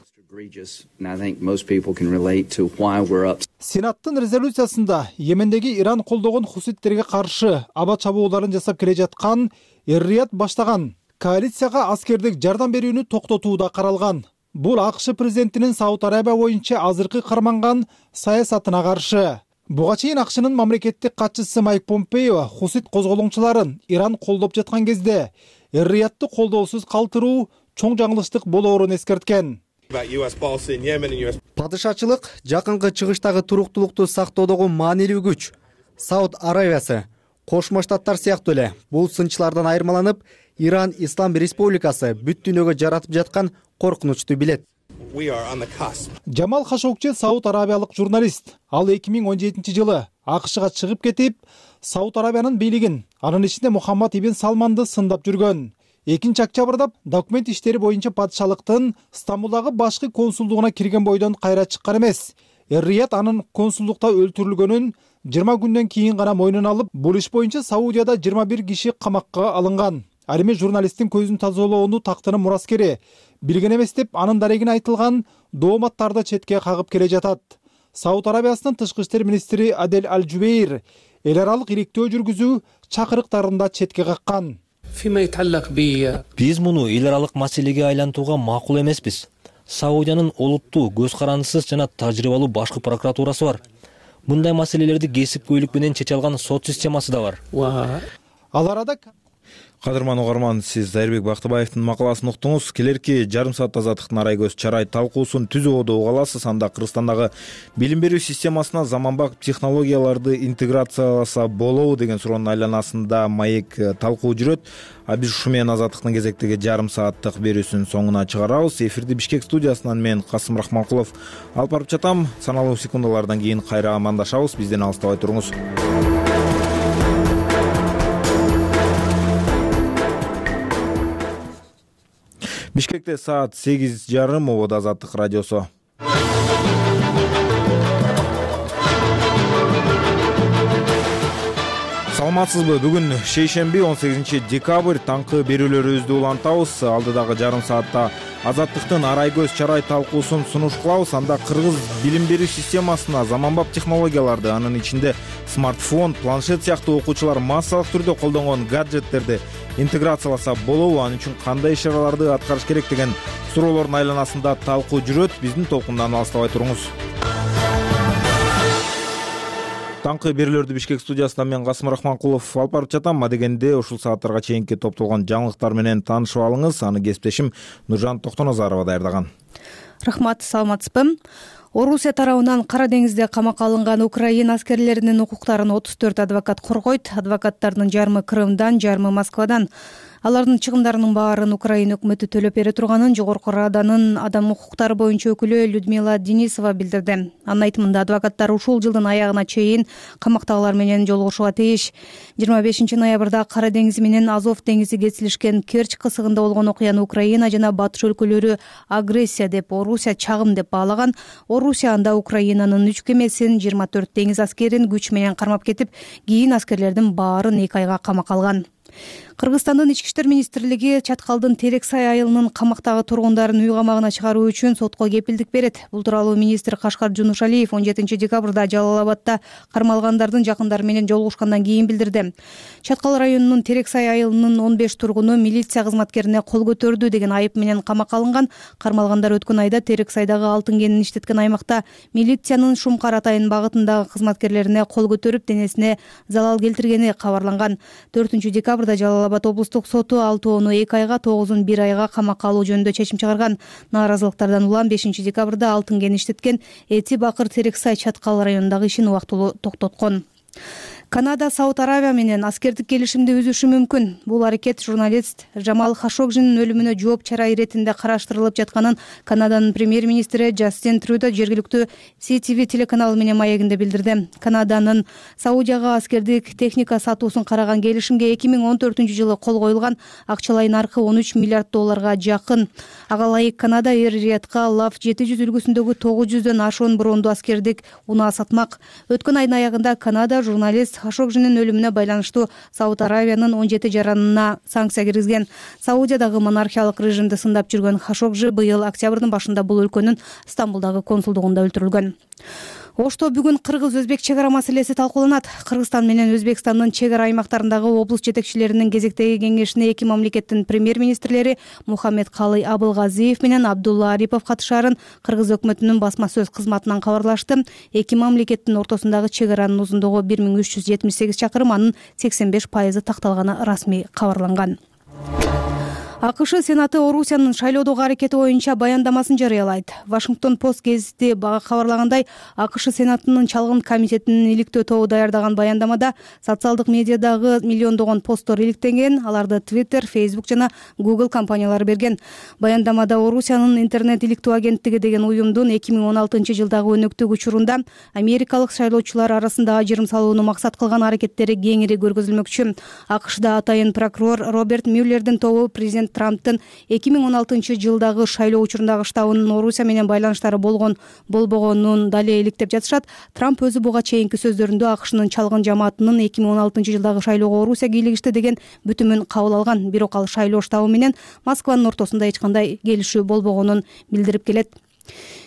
S3: Сенаттын резолюциясында Йемендеги Иран колдогон хуситтерге каршы аба чабууларын жасап келе жаткан Эр-Рият баштаган коалицияга аскердик жардам берүүнү токтотууда каралган. Бул АКШ президентинин Сауд Арабия боюнча азыркы карманган саясатына каршы. Буга чейин АКШнын мамлекеттик катчысы Майк Помпео хусит козголоңчуларын Иран колдоп жаткан кезде Эр-Риятты колдоосуз калтыруу чоң жаңылыштык болоорун эскерткен.
S17: Падышачылык жакынкы чыгыштагы туруктуулукту сактоодогу маанилүү күч. Сауд Арабиясы, Кошмо Штаттар сыяктуу эле бул сынчылардан айырмаланып, Иран Ислам Республикасы бүт дүйнөгө жаратып жаткан коркунучту билет.
S3: Жамал Хашогжи Сауд Арабиялык журналист. Ал эки миң он жетинчи жылы АКШга чыгып кетип, Сауд Арабиянын бийлигин, анын ичинде Мухаммад ибн Салманды сындап жүргөн. экинчи октябрда документ иштери боюнча падышалыктын Стамбулдагы башкы консулдугуна кирген бойдон кайра чыккан эмес. Эр-Рият анын консулдукта өлтүрүлгөнүн жыйырма күндөн кийин гана мойнуна алып, бул иш боюнча Саудияда жыйырма бир киши камакка алынган. Ал эми журналисттин көзүн тазалоону тактынын мураскери билген эмес деп анын дарегине айтылган дооматтарды четке кагып келе жатат. Сауд Арабиясынын тышкы иштер министри Адель Аль-Жубейр эл аралык иликтөө жүргүзүү чакырыктарында четке каккан.
S16: Биз муну эл аралык маселеге айлантууга макул эмеспиз. Саудиянын олуттуу, көз карандысыз жана тажрыйбалуу башкы прокуратурасы бар.
S18: мындай маселелерди кесипкөйлүк менен чече алган сот системасы да бар.
S3: Ал арада
S1: кадырман угарман, сиз Зайырбек Бактыбаевдин макаласын уктуңуз. Келерки жарым саатта Азаттыктын арай көз чарай талкуусун түз ободо уга аласыз. Анда Кыргызстандагы билим берүү системасына заманбап технологияларды интеграцияласа болобу деген суроонун айланасында маек талкуу жүрөт. А биз ушу менен Азаттыктын кезектеги жарым сааттык берүүсүнүн соңуна чыгарабыз. Эфирди Бишкек студиясынан мен Касым Рахманкулов алып барып жатам. Саналуу секундалардан кийин кайра амандашабыз. Бизден алыстабай туруңуз. Бишкекте саат сегиз жарым, ободо Азаттык радиосу. Саламатсызбы? Бүгүн шейшемби он сегизинчи декабрь, таңкы берүүлөрүбүздү улантабыз. Алдыдагы жарым саатта Азаттыктын арай көз чарай талкуусун сунуш кылабыз. Анда кыргыз билим берүү системасына заманбап технологияларды, анын ичинде смартфон, планшет сыяктуу окуучулар массалык түрдө колдонгон гаджеттерди интеграцияласа болобу, анын үчүн кандай иш-чараларды аткарыш керек деген суроолордун айланасында талкуу жүрөт. Биздин толкундан алыстабай туруңуз. Таңкы берүүлөрдү Бишкек студиясынан мен Касым Рахманкулов алып барып жатам. Адегенде ушул сааттарга чейинки топтолгон жаңылыктар менен таанышып алыңыз. Аны кесиптешим Нуржан Токтоназарова даярдаган.
S4: Рахмат, саламатсызбы? Орусия тарабынан Кара деңизде камакка алынган Украина аскерлеринин укуктарын отуз төрт адвокат коргойт. Адвокаттардын жарымы Крымдан, жарымы Москвадан. Алардын чыгымдарынын баарын Украина өкмөтү төлөп бере турганын Жогорку Раданын адам укуктары боюнча өкүлү Людмила Денисова билдирди. Анын айтымында адвокаттар ушул жылдын аягына чейин камактагылар менен жолугушууга тийиш. жыйырма бешинчи ноябрда Кара деңизи менен Азов деңизи кесилишкен Керчь кысыгында болгон окуяны Украина жана Батыш өлкөлөрү агрессия деп, Орусия чагым деп баалаган. Орусия анда Украинанын үч кемесин, жыйырма төрт деңиз аскерин күч менен кармап кетип, кийин аскерлердин баарын эки айга камакка алган. Кыргызстандын ички иштер министрлиги Чаткалдын Терексай айылынын камактагы тургундарын үй камагына чыгаруу үчүн сотко кепилдик берет. Бул тууралуу министр Кашкар Жунушалиев он жетинчи декабрда Жалал Абадда кармалгандардын жакындары менен жолугушкандан кийин билдирди. Чаткал районунун Терексай айылынын он беш тургуну милиция кызматкерине кол көтөрдү деген айып менен камакка алынган. Кармалгандар өткөн айда Терексайдагы алтын кенин иштеткен аймакта милициянын Шумкар Атайын багытындагы кызматкерлерине кол көтөрүп, денесине залал келтиргени кабарланган. төртүнчү декабрда Жалал Абад облустук соту алтоону эки айга, тогузун бир айга камакка алуу жөнүндө чечим чыгарган. Нааразылыктардан улам бешинчи декабрда алтын кен иштеткен Эти Бакыр Терексай Чаткал районундагы ишин убактылуу токтоткон. Канада Сауд Аравия менен аскердик келишимди үзүшү мүмкүн. Бул аракет журналист Жамал Хашогжинин өлүмүнө жооп чара иретинде караштырылып жатканын Канаданын премьер-министри Джастин Трюдо жергиликтүү Си Ти Ви телеканалы менен маегинде билдирди. Канаданын Саудияга аскердик техника сатуусун караган келишимге эки миң он төртүнчү жылы кол коюлган. Акчалай наркы он үч миллиард долларга жакын. Ага ылайык Канада Эр-Риядка Лав жети жүз үлгүсүндөгү тогуз жүздөн ашуун бронду аскердик унаа сатмак. Өткөн айдын аягында Канада журналист Хашогжинин өлүмүнө байланыштуу Сауд Аравиянын он жети жаранына санкция киргизген. Саудиядагы монархиялык режимди сындап жүргөн Хашогжи быйыл октябрдын башында бул өлкөнүн Стамбулдагы консулдугунда өлтүрүлгөн. Ошто бүгүн кыргыз-өзбек чек ара маселеси талкууланат. Кыргызстан менен Өзбекстандын чек ара аймактарындагы облус жетекчилеринин кезектеги кеңешине эки мамлекеттин премьер-министрлери Мухаммед Калый Абылгазиев менен Абдулла Арипов катышаарын Кыргыз өкмөтүнүн басма сөз кызматынан кабарлашты. Эки мамлекеттин ортосундагы чек аранын узундугу бир миң үч жүз жетимиш сегиз чакырым, анын сексен беш пайызы такталганы расмий кабарланган. АКШ Сенаты Орусиянын шайлоодогу аракети боюнча баяндамасын жарыялайт. Вашингтон Пост гезити кабарлагандай, АКШ Сенатынын чалгын комитетинин иликтөө тобу даярдаган баяндамада социалдык медиадагы миллиондогон посттор иликтенген, аларды Twitter, Facebook жана Google компаниялары берген. Баяндамада Орусиянын интернет иликтөө агенттиги деген уюмдун эки миң он алтынчы жылдагы өнөктүк учурунда америкалык шайлоочулар арасында ажырым салууну максат кылган аракеттери кеңири көргөзүлмөкчү. АКШда атайын прокурор Роберт Мюллердин тобу президент Трамптын эки миң он алтынчы жылдагы шайлоо учурундагы штабынын Орусия менен байланыштары болгон болбогонун дале иликтеп жатышат. Трамп өзү буга чейинки сөздөрүндө АКШнын чалгын жамаатынын эки миң он алтынчы жылдагы шайлоого Орусия кийлигишти деген бүтүмүн кабыл алган. Бирок ал шайлоо штабы менен Москванын ортосунда эч кандай келишүү болбогонун билдирип келет.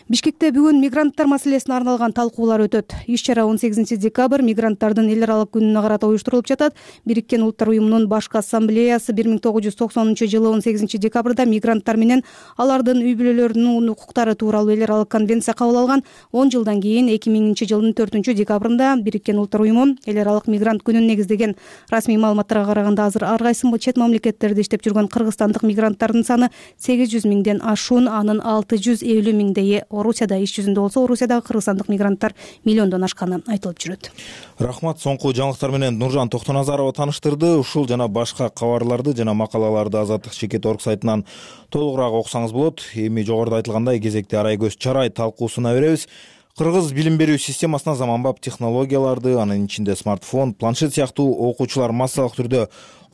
S4: Бишкекте бүгүн мигранттар маселесине арналган талкуулар өтөт. Иш чара он сегизинчи декабрь мигранттардын эл аралык күнүнө карата уюштурулуп жатат. Бириккен Улуттар уюмунун башкы ассамблеясы бир миң тогуз жүз токсонунчу жылы он сегизинчи декабрда мигранттар менен алардын үй бүлөлөрүнүн укуктары тууралуу эл аралык конвенция кабыл алган. он жылдан кийин эки миңинчи жылдын төртүнчү декабрында Бириккен Улуттар уюму эл аралык мигрант күнүн негиздеген. Расмий маалыматтарга караганда азыр ар кайсы чет мамлекеттерде иштеп жүргөн кыргызстандык мигранттардын саны сегиз жүз миңден ашуун, анын алты жүз элүү миңдейи Орусияда иш жүзүндө болсо, Орусиядагы кыргызстандык мигранттар миллиондон ашканы айтылып жүрөт.
S1: Рахмат. Соңку жаңылыктар менен Нуржан Токтоназарова тааныштырды. Ушул жана башка кабарларды жана макалаларды Азаттык Чекит орг сайтынан толугураак окусаңыз болот. Эми жогоруда айтылгандай кезекте Арай Көз Чарай талкуусуна беребиз. Кыргыз билим берүү системасына заманбап технологияларды, анын ичинде смартфон, планшет сыяктуу окуучулар массалык түрдө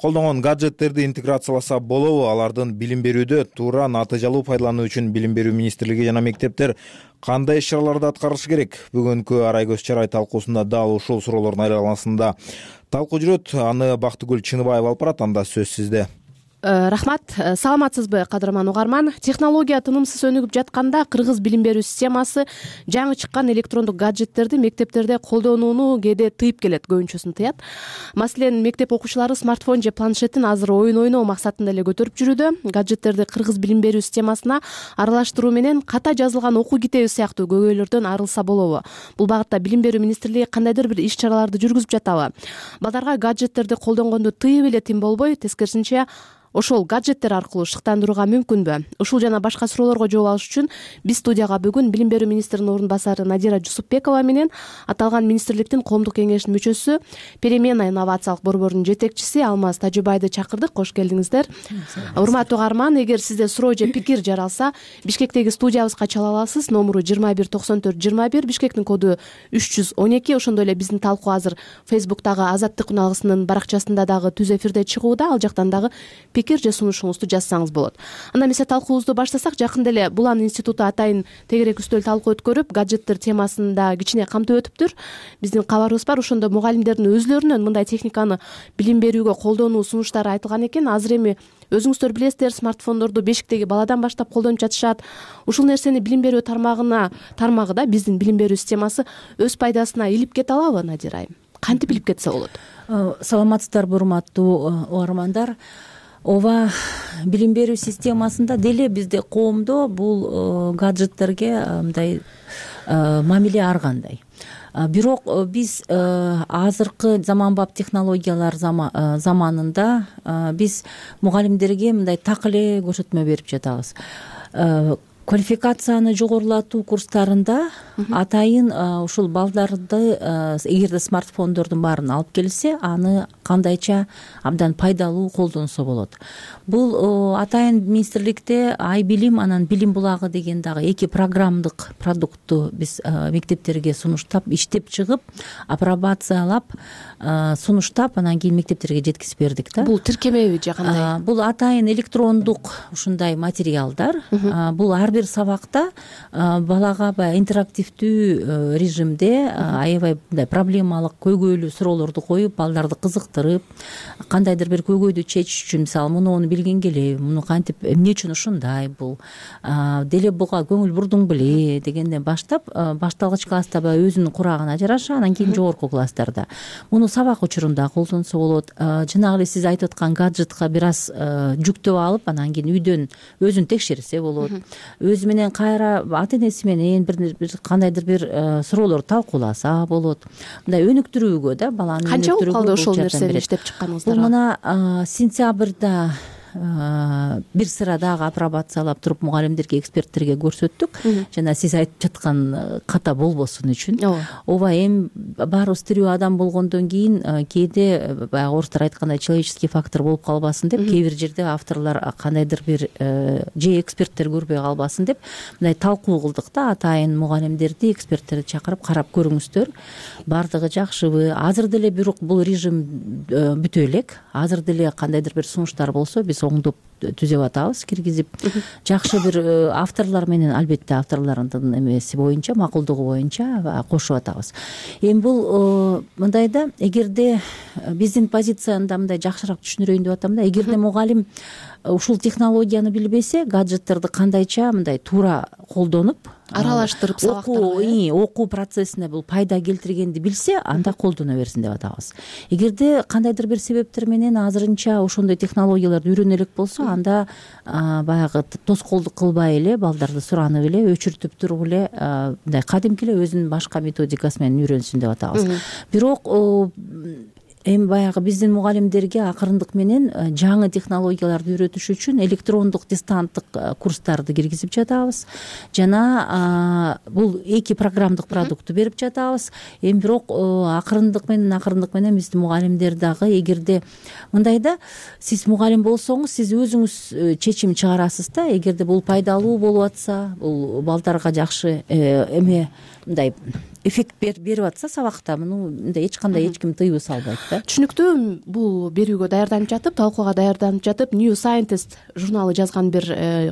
S1: колдонгон гаджеттерди интеграцияласа болобу? Алардын билим берүүдө туура натыйжалуу пайдалануу үчүн Билим берүү министрлиги жана мектептер кандай иш-чараларды аткарышы керек? Бүгүнкү Арай Көз Чарай талкуусунда дал ушул суроолордун айналасында талкуу жүрөт. Аны Бактыгүл Чыныбаева алып барат. Анда сөз сизде.
S19: Рахмат. Саламатсызбы, кадырман угарман? Технология тынымсыз өнүгүп жатканда кыргыз билим берүү системасы жаңы чыккан электрондук гаджеттерди мектептерде колдонууну кээде тыйып келет, көбүнчөсүн тыят. Маселен, мектеп окуучулары смартфон же планшетин азыр оюн ойноо максатында эле көтөрүп жүрүүдө. Гаджеттерди кыргыз билим берүү системасына аралаштыруу менен ката жазылган окуу китеби сыяктуу көйгөйлөрдөн арылса болобу? Бул багытта Билим берүү министрлиги кандайдыр бир иш-чараларды жүргүзүп жатабы? Балдарга гаджеттерди колдонгонду тыйып эле тим болбой, тескерисинче ошол гаджеттер аркылуу шыктандырууга мүмкүнбү? Ушул жана башка суроолорго жооп алыш үчүн биз студияга бүгүн Билим берүү министринин орун басары Надира Жусупбекова менен аталган министрликтин коомдук кеңешинин мүчөсү, Перемена инновациялык борборунун жетекчиси Алмаз Тажыбайды чакырдык. Кош келдиңиздер. Урматтуу угарман, эгер сизде суроо же пикир жаралса, Бишкектеги студиябызга чала аласыз. Номуру жыйырма бир токсон төрт жыйырма бир, Бишкектин коду үч жүз он эки. Ошондой эле биздин талкуу азыр Фейсбуктагы Азаттык үналгысынын баракчасында дагы түз эфирде чыгууда. Ал жактан дагы пикир же сунушуңузду жазсаңыз болот. Анда эмесе талкуубузду баштасак, жакында эле Булан институту атайын тегерек үстөл талкуу өткөрүп, гаджеттер темасында кичине камтып өтүптүр. Биздин кабарыбыз бар. Ошондо мугалимдердин өзлөрүнөн мындай техниканы билим берүүгө колдонуу сунуштары айтылган экен. Азыр эми өзүңүздөр билесиздер, смартфондорду бешиктеги баладан баштап колдонуп жатышат. Ушул нерсени билим берүү тармагына тармагыда биздин билим берүү системасы өз пайдасына илип кете алабы, Надира айым? Кантип илип кетсе болот?
S20: Саламатсыздарбы, урматтуу угармандар. Ооба, билим берүү системасында деле бизде коомдо бул гаджеттерге мындай мамиле ар кандай. Бирок биз азыркы заманбап технологиялар заманында биз мугалимдерге мындай так эле көрсөтмө берип жатабыз. Квалификацияны жогорулатуу курстарында атайын ушул балдарды эгерде смартфондордун баарын алып келсе, аны кандайча абдан пайдалуу колдонсо болот. Бул атайын министрликте Ай билим анан Билим булагы деген дагы эки программдык продуктту биз мектептерге сунуштап, иштеп чыгып, апробациялап, сунуштап, анан кийин мектептерге жеткизип бердик да.
S19: Бул тиркемеби же кандай?
S20: Бул атайын электрондук ушундай материалдар. Бул ар бир сабакта балага баягы интерактивдүү режимде аябай мындай проблемалык, көйгөйлүү суроолорду коюп, балдарды кызыктырып, кандайдыр бир көйгөйдү чечиш үчүн, мисалы, муну муну билген келе, муну кантип, эмне үчүн ушундай, бул деле буга көңүл бурдуң беле дегенден баштап, башталгыч класста баягы өзүнүн курагына жараша, анан кийин жогорку класстарда муну сабак учурунда колдонсо болот. Жанагы эле сиз айтып аткан гаджетка бир аз жүктөп алып, анан кийин үйдөн өзүн текшерсе болот. Өзү менен кайра ата энеси менен бир кандайдыр бир суроолорду талкууласа болот. Мындай өнүктүрүүгө да, баланы
S19: канча убакыт калды ошол нерсени иштеп чыкканыңыздарга?
S20: Бул мына сентябрда бир сыра дагы апробациялап туруп мугалимдерге, эксперттерге көрсөттүк. Жана сиз айтып жаткан ката болбосун үчүн. Ооба, эми баарыбыз тирүү адам болгондон кийин кээде баягы орустар айткандай человеческий фактор болуп калбасын деп, кээ бир жерде авторлор кандайдыр бир же эксперттер көрбөй калбасын деп мындай талкуу кылдык да, атайын мугалимдерди, эксперттерди чакырып карап көрүңүздөр. Бардыгы жакшыбы? Азыр деле бирок бул режим бүтө элек. Азыр деле кандайдыр бир сунуштар болсо биз оңдоп түзүп атабыз, киргизип жакшы бир авторлор менен, албетте авторлордун эмеси боюнча, макулдугу боюнча кошуп атабыз. Эми бул мындай да, эгерде биздин позицияны мындай жакшыраак түшүндүрөйүн деп атам да, эгерде мугалим ушул технологияны билбесе, гаджеттерди кандайча мындай туура колдонуп,
S19: аралаштырып сабактарга
S20: окуу процессине бул пайда келтиргенди билсе, анда колдоно берсин деп атабыз. Эгерде кандайдыр бир себептер менен азырынча ошондой технологияларды үйрөнө элек болсо, анда баягы тоскоолдук кылбай эле, балдарды суранып эле, өчүртүп туруп эле, мындай кадимки эле өзүнүн башка методикасы менен үйрөнсүн деп атабыз. Бирок эми баягы биздин мугалимдерге акырындык менен жаңы технологияларды үйрөтүш үчүн электрондук дистанттык курстарды киргизип жатабыз. Жана бул эки программдык продукту берип жатабыз. Эми бирок акырындык менен акырындык менен биздин мугалимдер дагы, эгерде мындай да, сиз мугалим болсоңуз, сиз өзүңүз чечим чыгарасыз да, эгерде бул пайдалуу болуп атса, бул балдарга жакшы эме мындай эффект берип атса сабакта, муну мындай эч кандай эч ким тыюу салбайт да.
S19: Түшүнүктүү. Бул берүүгө даярданып жатып, талкууга даярданып жатып, New Scientist журналы жазган бир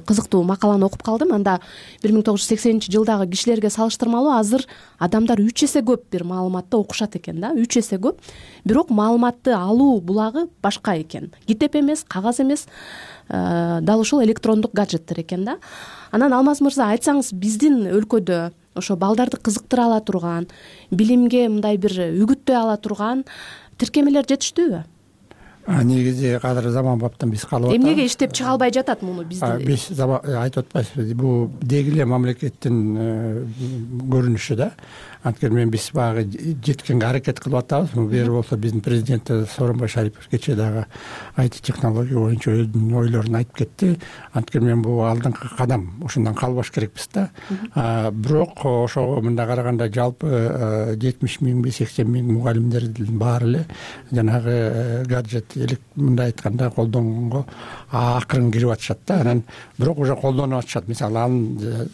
S19: кызыктуу макаланы окуп калдым. Анда бир миң тогуз жүз сексенинчи жылдагы кишилерге салыштырмалуу азыр адамдар үч эсе көп бир маалыматты окушат экен да, үч эсе көп. Бирок маалыматты алуу булагы башка экен. Китеп эмес, кагаз эмес, дал ушул электрондук гаджеттер экен да. Анан Алмаз мырза, айтсаңыз, биздин өлкөдө ошо балдарды кызыктыра ала турган, билимге мындай бир үгүттөй ала турган тиркемелер жетиштүүбү?
S21: Негизи азыр заманбаптан биз калып атабыз.
S19: Эмнеге иштеп чыга албай жатат муну биздин?
S21: Биз айтып атпайсызбы, бул деги эле мамлекеттин көрүнүшү да. Анткени мен биз баягы жеткенге аракет кылып атабыз. Бери болсо биздин президент Сооронбай Шарипов кечээ дагы ай ти технология боюнча өзүнүн ойлорун айтып кетти. Анткени мен бул алдыңкы кадам, ошондон калбаш керекпиз да. Бирок ошого мындай караганда жалпы жетимиш миңби, сексен миң мугалимдердин баары эле жанагы гаджет мындай айтканда колдонгонго акырын кирип атышат да. Анан бирок уже колдонуп атышат. Мисалы, анын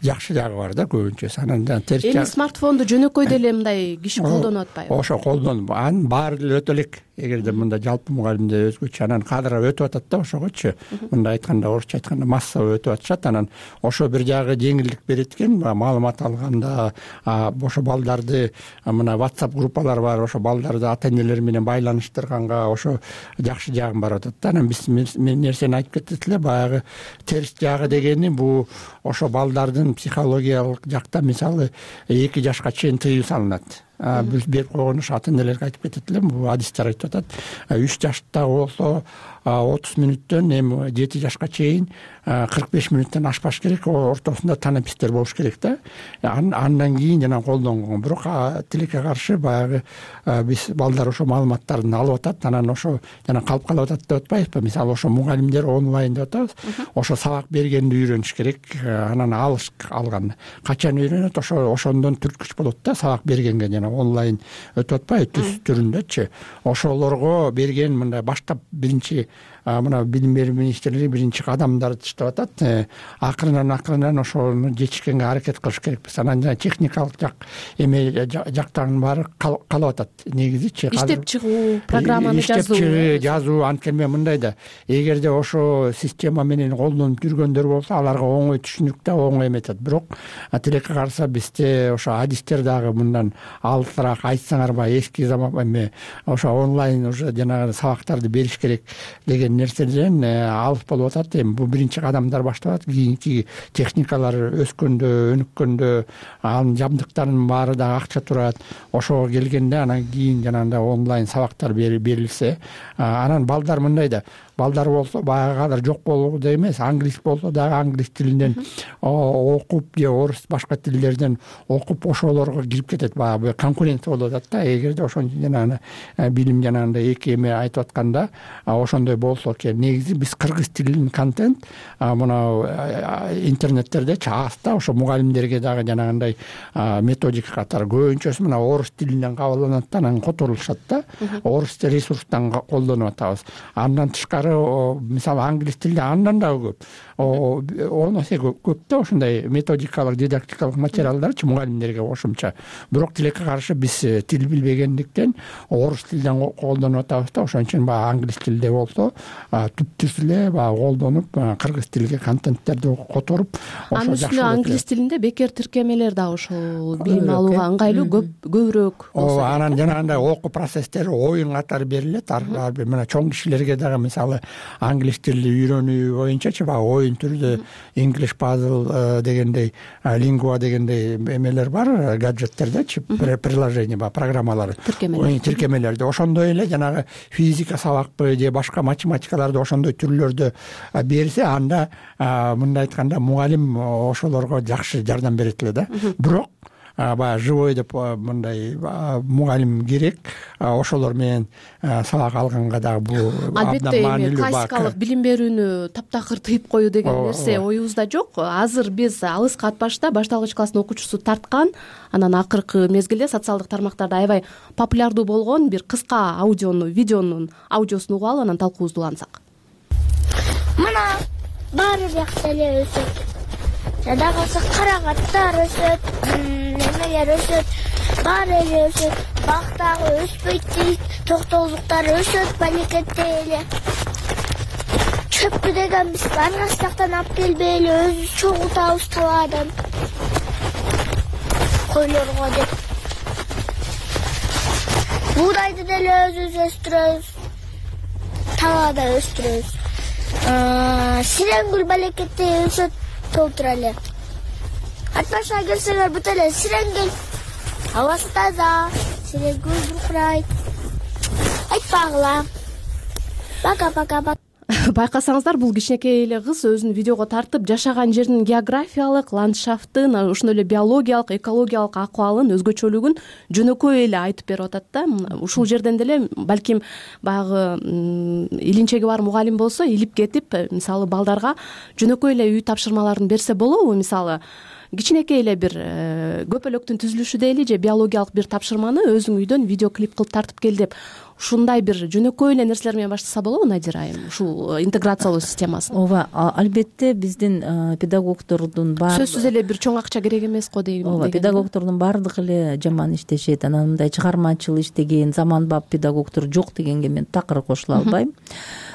S21: жакшы жагы бар да көбүнчөсү. Анан терс жагы.
S19: Эми смартфонду жөнөкөй деле мындай киши колдонуп атпайбы?
S21: Ошо колдонуп, анын баары деле өтө элек. Эгерде мындай жалпы мугалимде өзгөчө, анан кадыр өтүп атат да ошогочу. Мындай айтканда, орусча айтканда массовый өтүп атышат. Анан ошо бир жагы жеңилдик берет экен, маалымат алганда, ошо балдарды, мына WhatsApp группалар бар, ошо балдарды ата-энелери менен байланыштырганга ошо жакшы жагын барып атат да. Анан биз нерсени айтып кеттик эле, баягы терс жагы дегени бул ошо балдардын психологиялык жакта, мисалы, эки жашка чейин тыюу салынат. Биз берип койгон ушу ата-энелерге айтып кетет элем, бул адистер айтып атат. үч жашта болсо отуз мүнөттөн, эми жети жашка чейин кырк беш мүнөттөн ашпаш керек, ортосунда танапистер болуш керек да. Андан кийин жана колдонгон. Бирок тилекке каршы баягы биз балдар ошо маалыматтарды алып атат, анан ошо жана калып калып атат деп атпайбызбы? Мисалы, ошо мугалимдер онлайн деп атабыз. Ошо сабак бергенди үйрөнүш керек, анан алыш алган. Качан үйрөнөт? Ошо ошондон түрткүч болот да, сабак бергенге жана онлайн өтүп атпайбы, түз түрүндөчү. Ошолорго берген мындай баштап биринчи мына билим берүү министрлиги биринчи кадамдарды таштап атат. Акырынан акырынан ошону жетишкенге аракет кылыш керекпиз. Анан жана техникалык жак эме жактан баары калып атат негизичи.
S19: Иштеп чыгуу, программаны жазуу.
S21: Иштеп чыгуу, жазуу. Анткени мындай да, эгерде ошо система менен колдонуп жүргөндөр болсо, аларга оңой түшүнүктүү, оңой эметет. Бирок тилекке карса бизде ошо адистер дагы мындан алысыраак айтсаңарбы, эски заман эме ошо онлайн уже жанагы сабактарды бериш керек деген нерседен алыс болуп атат. Эми бул биринчи кадамдар башталат. Кийинки техникалар өскөндө, өнүккөндө, анын жабдыктарынын баары дагы акча турат. Ошого келгенде анан кийин жанагындай онлайн сабактар берилсе, анан балдар мындай да, балдар болсо баягы кадыр жок болуу да эмес, англис болсо дагы англис тилинен окуп же орус башка тилдерден окуп ошолорго кирип кетет. Баягы конкуренция болуп атат да. Эгерде ошон жанагы билим жанагындай эки эме айтып атканда ошондой болсо экен. Негизи биз кыргыз тилинин контент мына интернеттердечи аста ошо мугалимдерге дагы жанагындай методика катары көбүнчөсү мына орус тилинен кабыл алынат да, анан которулушат да. Орус ресурстан колдонуп атабыз. Андан тышкары материалдары мисалы англис тилинде андан дагы көп, он эсе көп да ошондой методикалык дидактикалык материалдарчы мугалимдерге кошумча. Бирок тилекке каршы биз тил билбегендиктен орус тилинен колдонуп атабыз да, ошон үчүн баягы англис тилде болсо түп түз эле баягы колдонуп кыргыз тилиге контенттерди которуп
S19: анын үстүнө англис тилинде бекер тиркемелер дагы ошол билим алууга ыңгайлуу көбүрөөк.
S21: Ооба, анан жанагындай окуу процесстери оюн катары берилет. Ар бир мына чоң кишилерге дагы мисалы англис тилди үйрөнүү боюнчачы баягы оюн түрдө English puzzle дегендей, лингва дегендей эмелер бар, гаджеттердечи, приложение баягы программалар, тиркемелерди. Ошондой эле жанагы физика сабакпы же башка математикаларды ошондой түрлөрдө берсе, анда мындай айтканда мугалим ошолорго жакшы жардам берет эле да. Бирок баягы живой деп мындай мугалим керек, ошолор менен сабак алганга дагы бул
S19: албетте эми классикалык билим берүүнү таптакыр тыйып коюу деген нерсе оюбузда жок. Азыр биз алыска атпашта башталгыч класстын окуучусу тарткан, анан акыркы мезгилде социалдык тармактарда аябай популярдуу болгон бир кыска аудиону, видеонун аудиосун угуп алып, анан талкуубузду улантсак.
S5: Мына баары бакта эле өсөт. Жада калса карагаттар өсөт, немелер өсөт, баары эле өсөт. Бактагы өспөйт дейт, токтоолуктар өсөт, балекетте эле. Чөпкү деген биз аргастактан алып келбейли, өзүбүз чогултабыз табадан. Койлорго деп. Буудайды деле өзүбүз өстүрөбүз. Табада өстүрөбүз. Сиренгүл балекетте өсөт, толтура эле. Атпашка келсеңер бут эле сиренгүл. Абасы таза, сиренгүл буркурайт. Айтпагыла. Пока-пока.
S19: Байкасаңыздар, бул кичинекей эле кыз өзүн видеого тартып жашаган жердин географиялык, ландшафтын, ошондой эле биологиялык, экологиялык акыбалын, өзгөчөлүгүн жөнөкөй эле айтып берип атат да. Ушул жерден деле балким баягы илинчеги бар мугалим болсо илип кетип, мисалы балдарга жөнөкөй эле үй тапшырмаларын берсе болобу? Мисалы кичинекей эле бир көпөлөктүн түзүлүшү дейли же биологиялык бир тапшырманы өзүң үйдөн видео клип кылып тартып кел деп, ушундай бир жөнөкөй эле нерселер менен баштаса болобу, Надира айым, ушул интеграциялоо системасын?
S20: Ооба, албетте биздин педагогдордун баары
S19: сөзсүз эле бир чоң акча керек эмес го дейм.
S20: Ооба, педагогдордун баардыгы эле жаман иштешет. Анан мындай чыгармачыл иштеген, заманбап педагогдор жок дегенге мен такыр кошула албайм.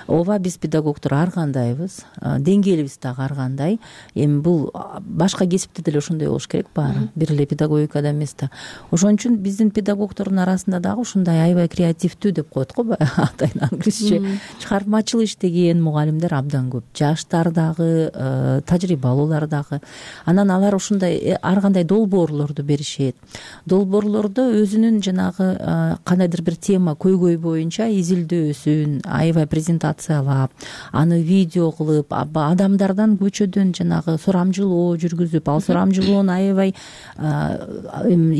S20: Ооба, биз педагогдор ар кандайбыз, деңгээлибиз дагы ар кандай. Эми бул башка кесипте деле ошондой болуш керек баары, бир эле педагогикада эмес да. Ошон үчүн биздин педагогдордун арасында дагы ушундай аябай креативдүү деп коет го баягы атайын англисче чыгармачыл иштеген мугалимдер абдан көп. Жаштар дагы, тажрыйбалуулар дагы. Анан алар ушундай ар кандай долбоорлорду беришет. Долбоорлордо өзүнүн жанагы кандайдыр бир тема, көйгөй боюнча изилдөөсүн аябай презентациялап, аны видео кылып, адамдардан көчөдөн жанагы сурамжылоо жүргүзүп, ал сурамжылоону аябай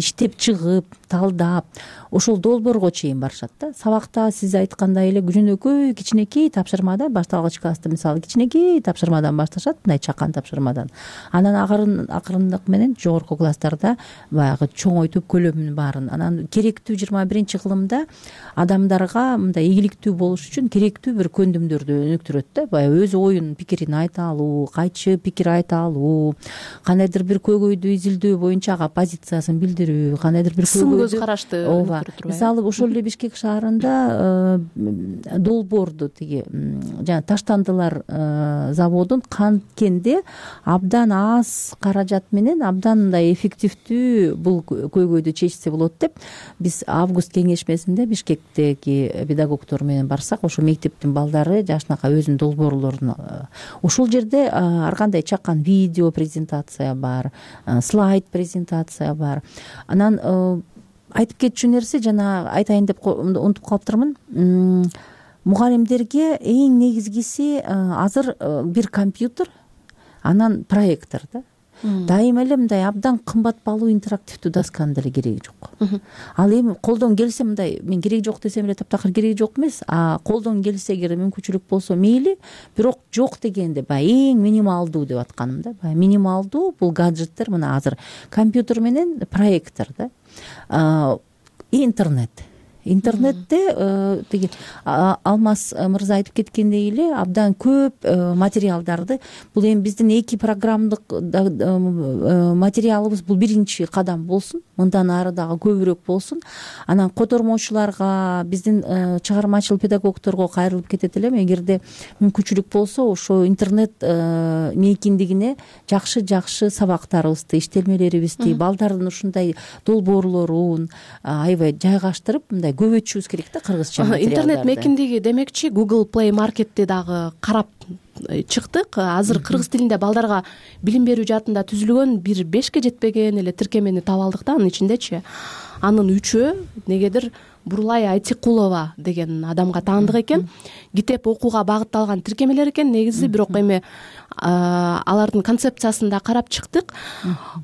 S20: иштеп чыгып, талдап, ошол долбоорго чейин барышат да. Сабакта сиз айткандай эле жөнөкөй кичинекей тапшырмада, башталгыч класста мисалы кичинекей тапшырмадан башташат, мындай чакан тапшырмадан. Анан акырын акырындык менен жогорку класстарда баягы чоңой түп көлөмүн баарын, анан керектүү жыйырма биринчи кылымда адамдарга мындай ийгиликтүү болуш үчүн керектүү бир көндүмдөрдү өнүктүрөт да. Баягы өз оюн, пикирин айта алуу, кайчы пикир айта алуу, кандайдыр бир көйгөйдү изилдөө боюнча ага позициясын билдирүү, кандайдыр бир
S19: сын көз карашты.
S20: Ооба, мисалы ошол эле Бишкек шаарында долбоорду тиги жана таштандылар заводун канткенде абдан аз каражат менен абдан мындай эффективдүү бул көйгөйдү чечсе болот деп биз август кеңешмесинде Бишкектеги педагогдор менен барсак, ошол мектептин балдары жашынака өзүнүн долбоорлорун, ошол жерде ар кандай чакан видео презентация бар, слайд презентация бар. Анан айтып кетчү нерсе, жана айтайын деп унутуп калыптырмын. Мугалимдерге эң негизгиси азыр бир компьютер, анан проектор да. Дайыма эле мындай абдан кымбат баалуу интерактивдүү досканын деле кереги жок. Ал эми колдон келсе мындай, мен кереги жок десем эле таптакыр кереги жок эмес, а колдон келсе эгер мүмкүнчүлүк болсо мейли, бирок жок дегенде баягы эң минималдуу деп атканым да. Баягы минималдуу бул гаджеттер мына азыр компьютер менен проектор да. Интернет. интернетте тиги Алмаз мырза айтып кеткендей эле абдан көп материалдарды, бул эми биздин эки программдык материалыбыз бул биринчи кадам болсун, мындан ары дагы көбүрөөк болсун. Анан котормочуларга, биздин чыгармачыл педагогдорго кайрылып кетет элем, эгерде мүмкүнчүлүк болсо ошо интернет мейкиндигине жакшы жакшы сабактарыбызды, иштелмелерибизди, балдардын ушундай долбоорлорун аябай жайгаштырып мындай көбөйтүшүбүз керек да кыргызча материалдарды.
S19: Интернет мейкиндиги демекчи Google Play Marketти дагы карап чыктык. Азыр кыргыз тилинде балдарга билим берүү жаатында түзүлгөн бир бешке жетпеген эле тиркемени таап алдык да. Анын ичиндечи анын үчөө негедир Бурлай Айтикулова деген адамга таандык экен. Китеп окууга багытталган тиркемелер экен негизи, бирок эми алардын концепциясын да карап чыктык.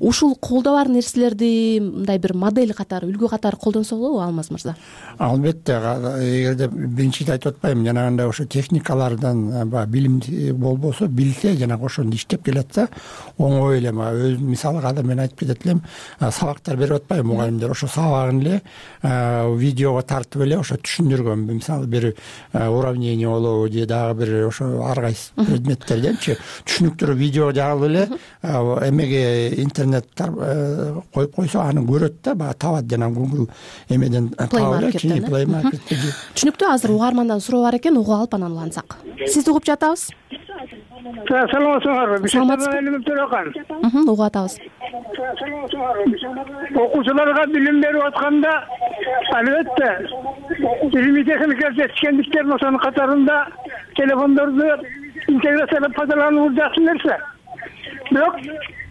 S19: Ушул колдо бар нерселерди мындай бир модель катары, үлгү катары колдонсо болобу, Алмаз мырза?
S21: Албетте, эгерде биринчиде айтып атпайбы, жанагындай ошо техникалардан баягы билим болбосо, билсе, жанагы ошондо иштеп келатса, оңой эле. Өз мисалга да мен айтып кетет элем, сабактар берип атпайбы мугалимдер, ошо сабагын эле видеого тартып эле ошо түшүндүргөн. Мисалы бир уравнение болобу же дагы бир ошо ар кайсы предметтерденчи түшүнүктүү видео жагылып эле эмеге интернет коюп койсо аны көрөт да, баягы табат жана Google эмеден таап эле Play Market'те.
S19: Түшүнүктүү. Азыр угармандан суроо бар экен, угуп алып анан улантсак. Сизди угуп жатабыз.
S6: Саламатсыңарбы? Бишимбаев Төрөкан.
S19: Угуп атабыз.
S6: Окуучуларга билим берип атканда албетте илимий техникалык жетишкендиктердин ошонун катарында телефондорду интеграциялап пайдалануу жакшы нерсе. Бирок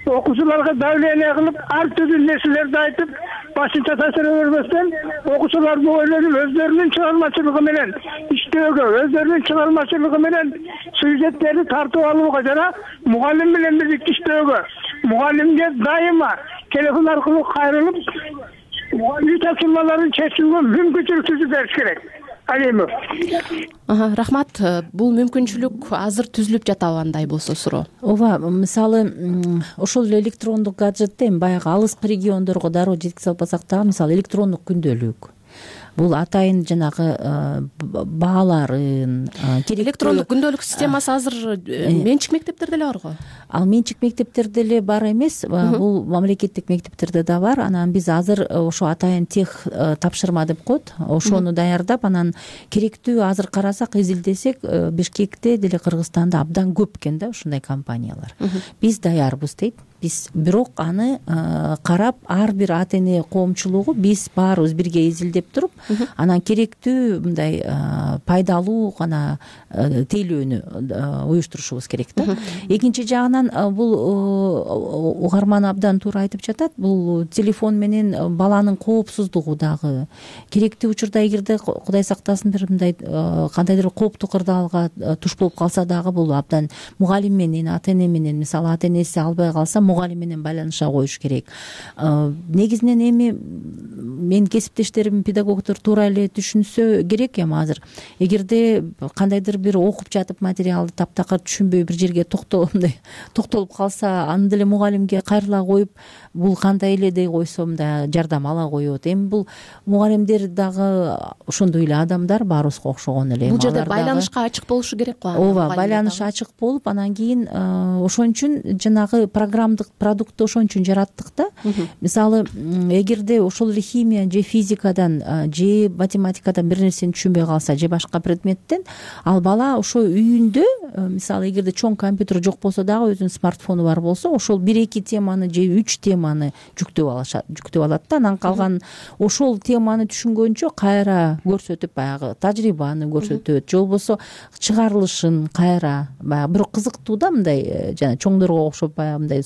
S6: окуучуларга давление кылып, ар түрдүү нерселерди айтып, башынча таасир бербестен, окуучулар бул ойлонуп өздөрүнүн чыгармачылыгы менен иштөөгө, өздөрүнүн чыгармачылыгы менен сюжеттерди тартып алууга жана мугалим менен бирдикте иштөөгө, мугалимге дайыма телефон аркылуу кайрылып, үй тапшырмаларын чечүүгө мүмкүнчүлүк түзүп бериш керек. Алимов.
S19: Рахмат. Бул мүмкүнчүлүк азыр түзүлүп жатабы андай болсо суроо?
S20: Ооба, мисалы ошол эле электрондук гаджетти эми баягы алыскы региондорго дароо жеткизе албасак дагы, мисалы электрондук күндөлүк. Бул атайын жанагы бааларын,
S19: электрондук күндөлүк системасы азыр менчик мектептерде эле барго?
S20: Ал менчик мектептерде эле бар эмес, бул мамлекеттик мектептерде да бар. Анан биз азыр ошо атайын тех тапшырма деп коет, ошону даярдап, анан керектүү азыр карасак, изилдесек, Бишкекте деле Кыргызстанда абдан көп экен да ушундай компаниялар. Биз даярбыз дейт. Биз бирок аны карап, ар бир ата эне коомчулугу биз баарыбыз бирге изилдеп туруп, анан керектүү мындай пайдалуу гана тейлөөнү уюштурушубуз керек да. Экинчи жагынан бул угарман абдан туура айтып жатат, бул телефон менен баланын коопсуздугу дагы керектүү учурда, эгерде Кудай сактасын бир мындай кандайдыр кооптуу кырдаалга туш болуп калса дагы, бул абдан мугалим менен, ата эне менен, мисалы ата энеси албай калса, мугалим менен байланыша коюш керек. Негизинен эми менин кесиптештерим, педагогдор туура эле түшүнсө керек эми азыр. Эгерде кандайдыр бир окуп жатып материалды таптакыр түшүнбөй бир жерге токтолуп калса, аны деле мугалимге кайрыла коюп, бул кандай эле дей койсо мындай жардам ала коет. Эми бул мугалимдер дагы ошондой эле адамдар, баарыбызга окшогон эле.
S19: Бул жерде байланышка ачык болушу керек го.
S20: Ооба, байланыш ачык болуп, анан кийин ошон үчүн жанагы программдык продуктты ошон үчүн жараттык да. Мисалы, эгерде ошол эле химия же физикадан же математикадан бир нерсени түшүнбөй калса, же башка предметтен, ал бала ошо үйүндө, мисалы, эгерде чоң компьютер жок болсо дагы, өзүнүн смартфону бар болсо, ошол бир эки теманы же үч теманы жүктөп алышат, жүктөп алат да. Анан калган ошол теманы түшүнгөнчө кайра көрсөтүп, баягы тажрыйбаны көрсөтөт, же болбосо чыгарылышын кайра, баягы бирок кызыктуу да, мындай жана чоңдорго окшоп баягы мындай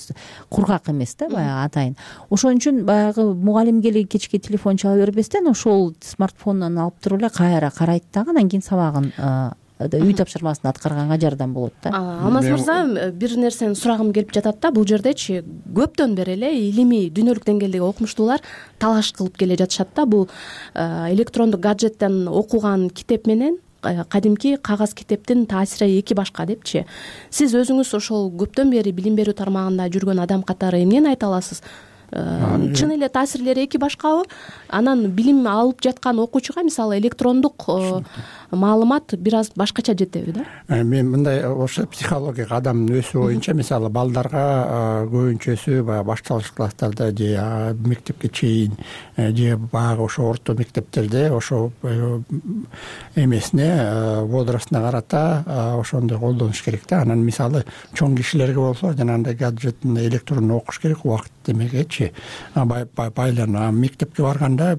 S20: кургак эмес да, баягы атайын. Ошон үчүн баягы мугалимге эле кечке телефон чала бербестен, ошол смартфондон алып туруп эле кайра карайт дагы, анан кийин сабагын, үй тапшырмасын аткарганга жардам болот да.
S19: Алмаз мырза, бир нерсени сурагым келип жатат да. Бул жердечи көптөн бери эле илимий дүйнөлүк деңгээлдеги окумуштуулар талаш кылып келе жатышат да. Бул электрондук гаджеттен окуган китеп менен кадимки кагаз китептин таасири эки башка депчи. Сиз өзүңүз ошол көптөн бери билим берүү тармагында жүргөн адам катары эмнени айта аласыз? чын эле таасирлери эки башкабы? Анан билим алып жаткан окуучуга мисалы электрондук маалымат бир аз башкача жетеби да?
S21: Мен мындай ошо психология адамдын өсүү боюнча мисалы балдарга көбүнчөсү баягы башталгыч класстарда же мектепке чейин же баягы ошо орто мектептерде ошо эмесине возрастына карата ошондой колдонуш керек да. Анан мисалы чоң кишилерге болсо жанагындай гаджеттин электрондо окуш керек убакыт демегечи байланып. Мектепке барганда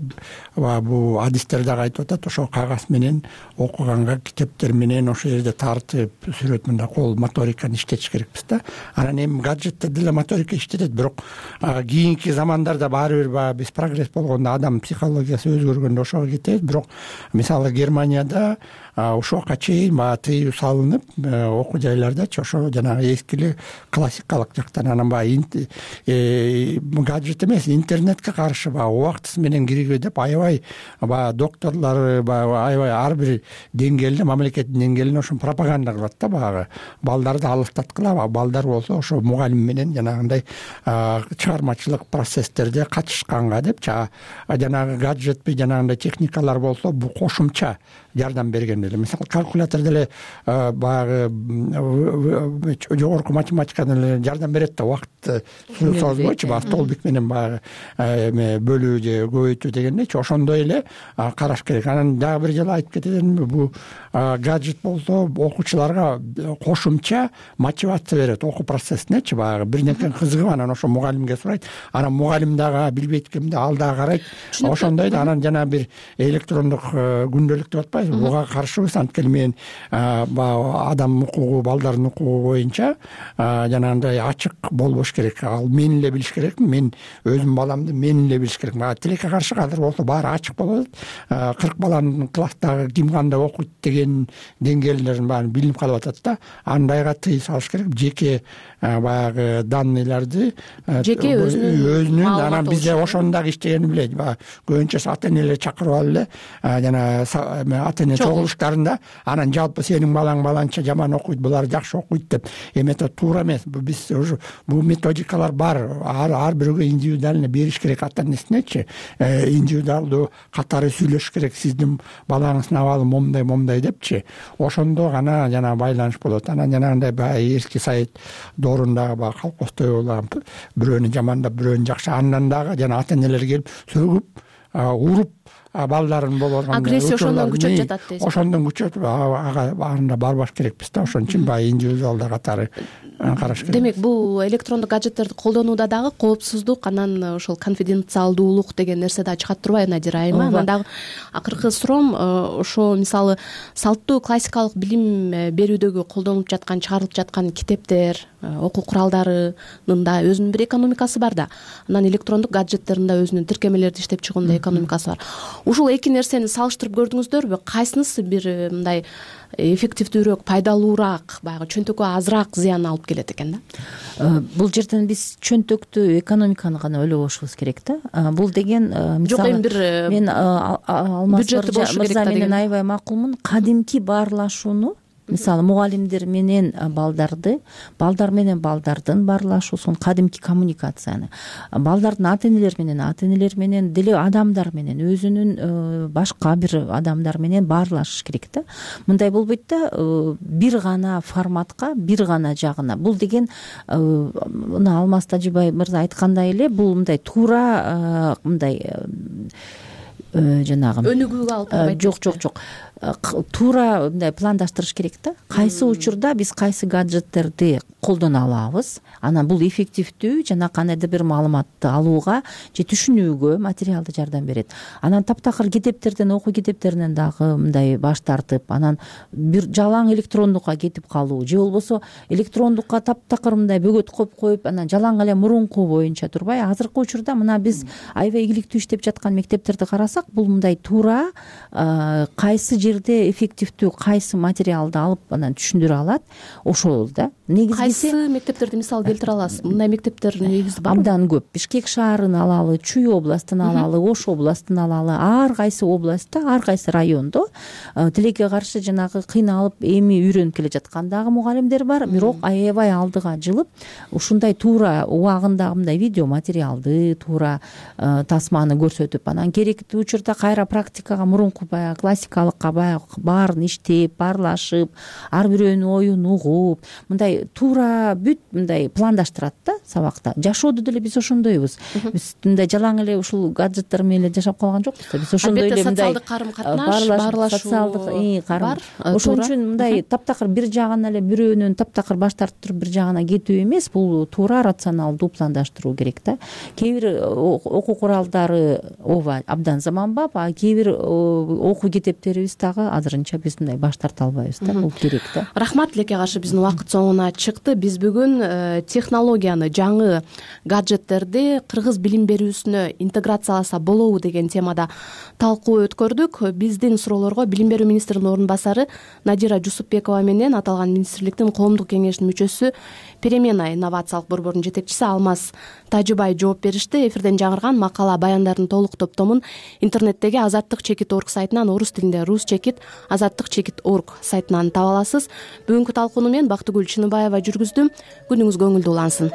S21: бул адистер дагы айтып атат, ошо кагаз менен окуганга китептер менен ошол жерде тартып сүрөт мындай кол моториканы иштетиш керекпиз да. Анан эми гаджетте деле моторика иштетет, бирок кийинки замандарда баары бир баягы биз прогресс болгондо адам психологиясы өзгөргөндө ошого кетебиз. Бирок мисалы Германияда ушуга чейин баягы тыюу салынып окуу жайлардачы ошо жанагы эскиле классикалык жактан анан баягы гаджет эмес интернетке каршы баягы убактысы менен киргизбей деп аябай баягы докторлор баягы аябай ар бир деңгээлде мамлекеттин деңгээлинде ошо пропаганда кылат да, баягы балдарды алыстаткыла. Балдар болсо ошо мугалим менен жанагындай чыгармачылык процесстерде катышканга депчи, жанагы гаджетпи жанагындай техникалар болсо бул кошумча жардам берген деле. Мисалы калькулятор деле баягы жогорку математикадан эле жардам берет да, убакытты созбойчу баягы столбик менен баягы бөлүү же көбөйтүү дегендейчи, ошондой эле караш керек. Анан дагы бир жолу айтып кетейин, бул гаджет болсо окуучуларга кошумча мотивация берет окуу процессинечи. Баягы бир нерсени кызыгып анан ошо мугалимге сурайт, анан мугалим дагы билбейт экенде ал дагы карайт, ошондой да. Анан жана бир электрондук күндөлүк деп атпайбызбы, буга каршыбыз. Анткени мен адам укугу, балдардын укугу боюнча жанагындай ачык болбош керек. Ал мен эле билиш керекмин, мен өзүм баламды мен эле билиш керек. Тилекке каршы азыр болсо баары ачык болот. кырк баланын класстагы ким кандай окуйт деген деңгээлдерин баарын билинип калып атат да. Андайга тыюу салыш керек. Жеке баягы данныйларды
S19: жеке өзүнүн
S21: анан бизде ошону дагы иштегенин билет. Баягы көбүнчөсү ата энелер чакырып алып эле жана ата эне чогулуштарында анан жалпы сенин балаң баланча жаман окуйт, булар жакшы окуйт деп эметип туура эмес. Биз уже бул методикалар бар, ар бирөөгө индивидуально бериш керек ата энесинечи. Индивидуалдуу катары сүйлөшүш керек, сиздин балаңыздын абалы момундай момундай депчи. Ошондо гана жана байланыш болот. Анан жанагындай баягы эски совет доорундагы баягы колхозтой болгон бирөөнү жамандап бирөөнү жакшы, андан дагы жана ата энелер келип сөгүп уруп балдарын болгон
S19: агрессия ошондон күчөп жатат дейсиз.
S21: Ошондон күчөп ага баарында барбаш керекпиз да. Ошон үчүн баягы индивидуалдуу катары караш керек.
S19: Демек бул электрондук гаджеттерди колдонууда дагы коопсуздук, анан ошол конфиденциалдуулук деген нерсе да чыгат турбайбы Надира айыма? Анан дагы акыркы суроом, ошо мисалы салттуу классикалык билим берүүдөгү колдонулуп жаткан, чыгарылып жаткан китептер, окуу куралдарынын да өзүнүн бир экономикасы бар да. Анан электрондук гаджеттердин да өзүнүн тиркемелерди иштеп чыгуунда экономикасы бар. Ушул эки нерсени салыштырып көрдүңүздөрбү? Кайсынысы бир мындай эффективдүүрөөк, пайдалуураак, баягы чөнтөккө азыраак зыян алып келет экен да?
S20: Бул жерден биз чөнтөктү, экономиканы гана ойлобошубуз керек да. Бул деген мисалы
S19: жок, эми бир
S20: мен Алмаз мырза менен аябай макулмун. Кадимки баарлашууну, мисалы мугалимдер менен балдарды, балдар менен балдардын баарлашуусун, кадимки коммуникацияны, балдардын ата энелер менен ата энелер менен деле адамдар менен, өзүнүн башка бир адамдар менен баарлашыш керек да. Мындай болбойт да, бир гана форматка, бир гана жагына. Бул деген мына Алмаз Тажибай мырза айткандай эле, бул мындай туура мындай жанагы
S19: өнүгүүгө алып барбайт.
S20: Жок, жок, жок. Туура мындай пландаштырыш керек да. Кайсы учурда биз кайсы гаджеттерди колдоно алабыз, анан бул эффективдүү жана кандайдыр бир маалыматты алууга же түшүнүүгө материалды жардам берет. Анан таптакыр китептерден, окуу китептеринен дагы мындай баш тартып, анан бир жалаң электрондукка кетип калуу же болбосо электрондукка таптакыр мындай бөгөт коюп коюп, анан жалаң эле мурунку боюнча турбай, азыркы учурда мына биз аябай ийгиликтүү иштеп жаткан мектептерди карасак, карасак бул мындай туура кайсы жерде эффективдүү кайсы материалды алып анан түшүндүрө алат ошол да.
S19: Кайсы мектептерди мисал келтире аласыз? Мындай мектептер негизи барбы?
S20: Абдан көп. Бишкек шаарын алалы, Чүй областын алалы, Ош областын алалы, ар кайсы областта, ар кайсы райондо тилекке каршы жанагы кыйналып эми үйрөнүп келе жаткан дагы мугалимдер бар. Бирок аябай алдыга жылып ушундай туура убагындагы мындай видео материалды, туура тасманы көрсөтүп, анан керектүү учурда кайра практикага, мурунку баягы классикалыкка баягы баарын иштеп, баарлашып, ар бирөөнүн оюн угуп, мындай туура бүт мындай пландаштырат да сабакта. Жашоодо деле биз ошондойбуз. Биз мындай жалаң эле ушул гаджеттер менен эле жашап калган жокпуз да. Биз ошондой эле мындай
S19: социалдык карым-катнаш, баарлашуу
S20: социалдык карым. Ошон үчүн мындай таптакыр бир жагынан эле бирөөнүн таптакыр баш тартып туруп бир жагына кетүү эмес, бул туура рационалдуу пландаштыруу керек да. Кээ бир окуу куралдары ооба абдан заманбап, а кээ бир окуу китептерибиз дагы азырынча биз мындай баш тарта албайбыз да. Бул керек да.
S19: Рахмат. Тилекке каршы биздин убакыт соңуна чыкты. Биз бүгүн технологияны, жаңы гаджеттерди кыргыз билим берүүсүнө интеграцияласа болобу деген темада талкуу өткөрдүк. Биздин суроолорго билим берүү министринин орун басары Надира Жусупбекова менен аталган министрликтин коомдук кеңешинин мүчөсү, Перемена инновациялык борборунун жетекчиси Алмаз Тажыбай жооп беришти. Эфирден жаңырган макала баяндардын толук топтомун интернеттеги азаттык чекит орг сайтынан, орус тилинде рус чекит азаттык чекит орг сайтынан таба аласыз. Бүгүнкү талкууну мен Бактыгүл Чыныбаева жүргүздүм. Күнүңүз көңүлдүү улансын.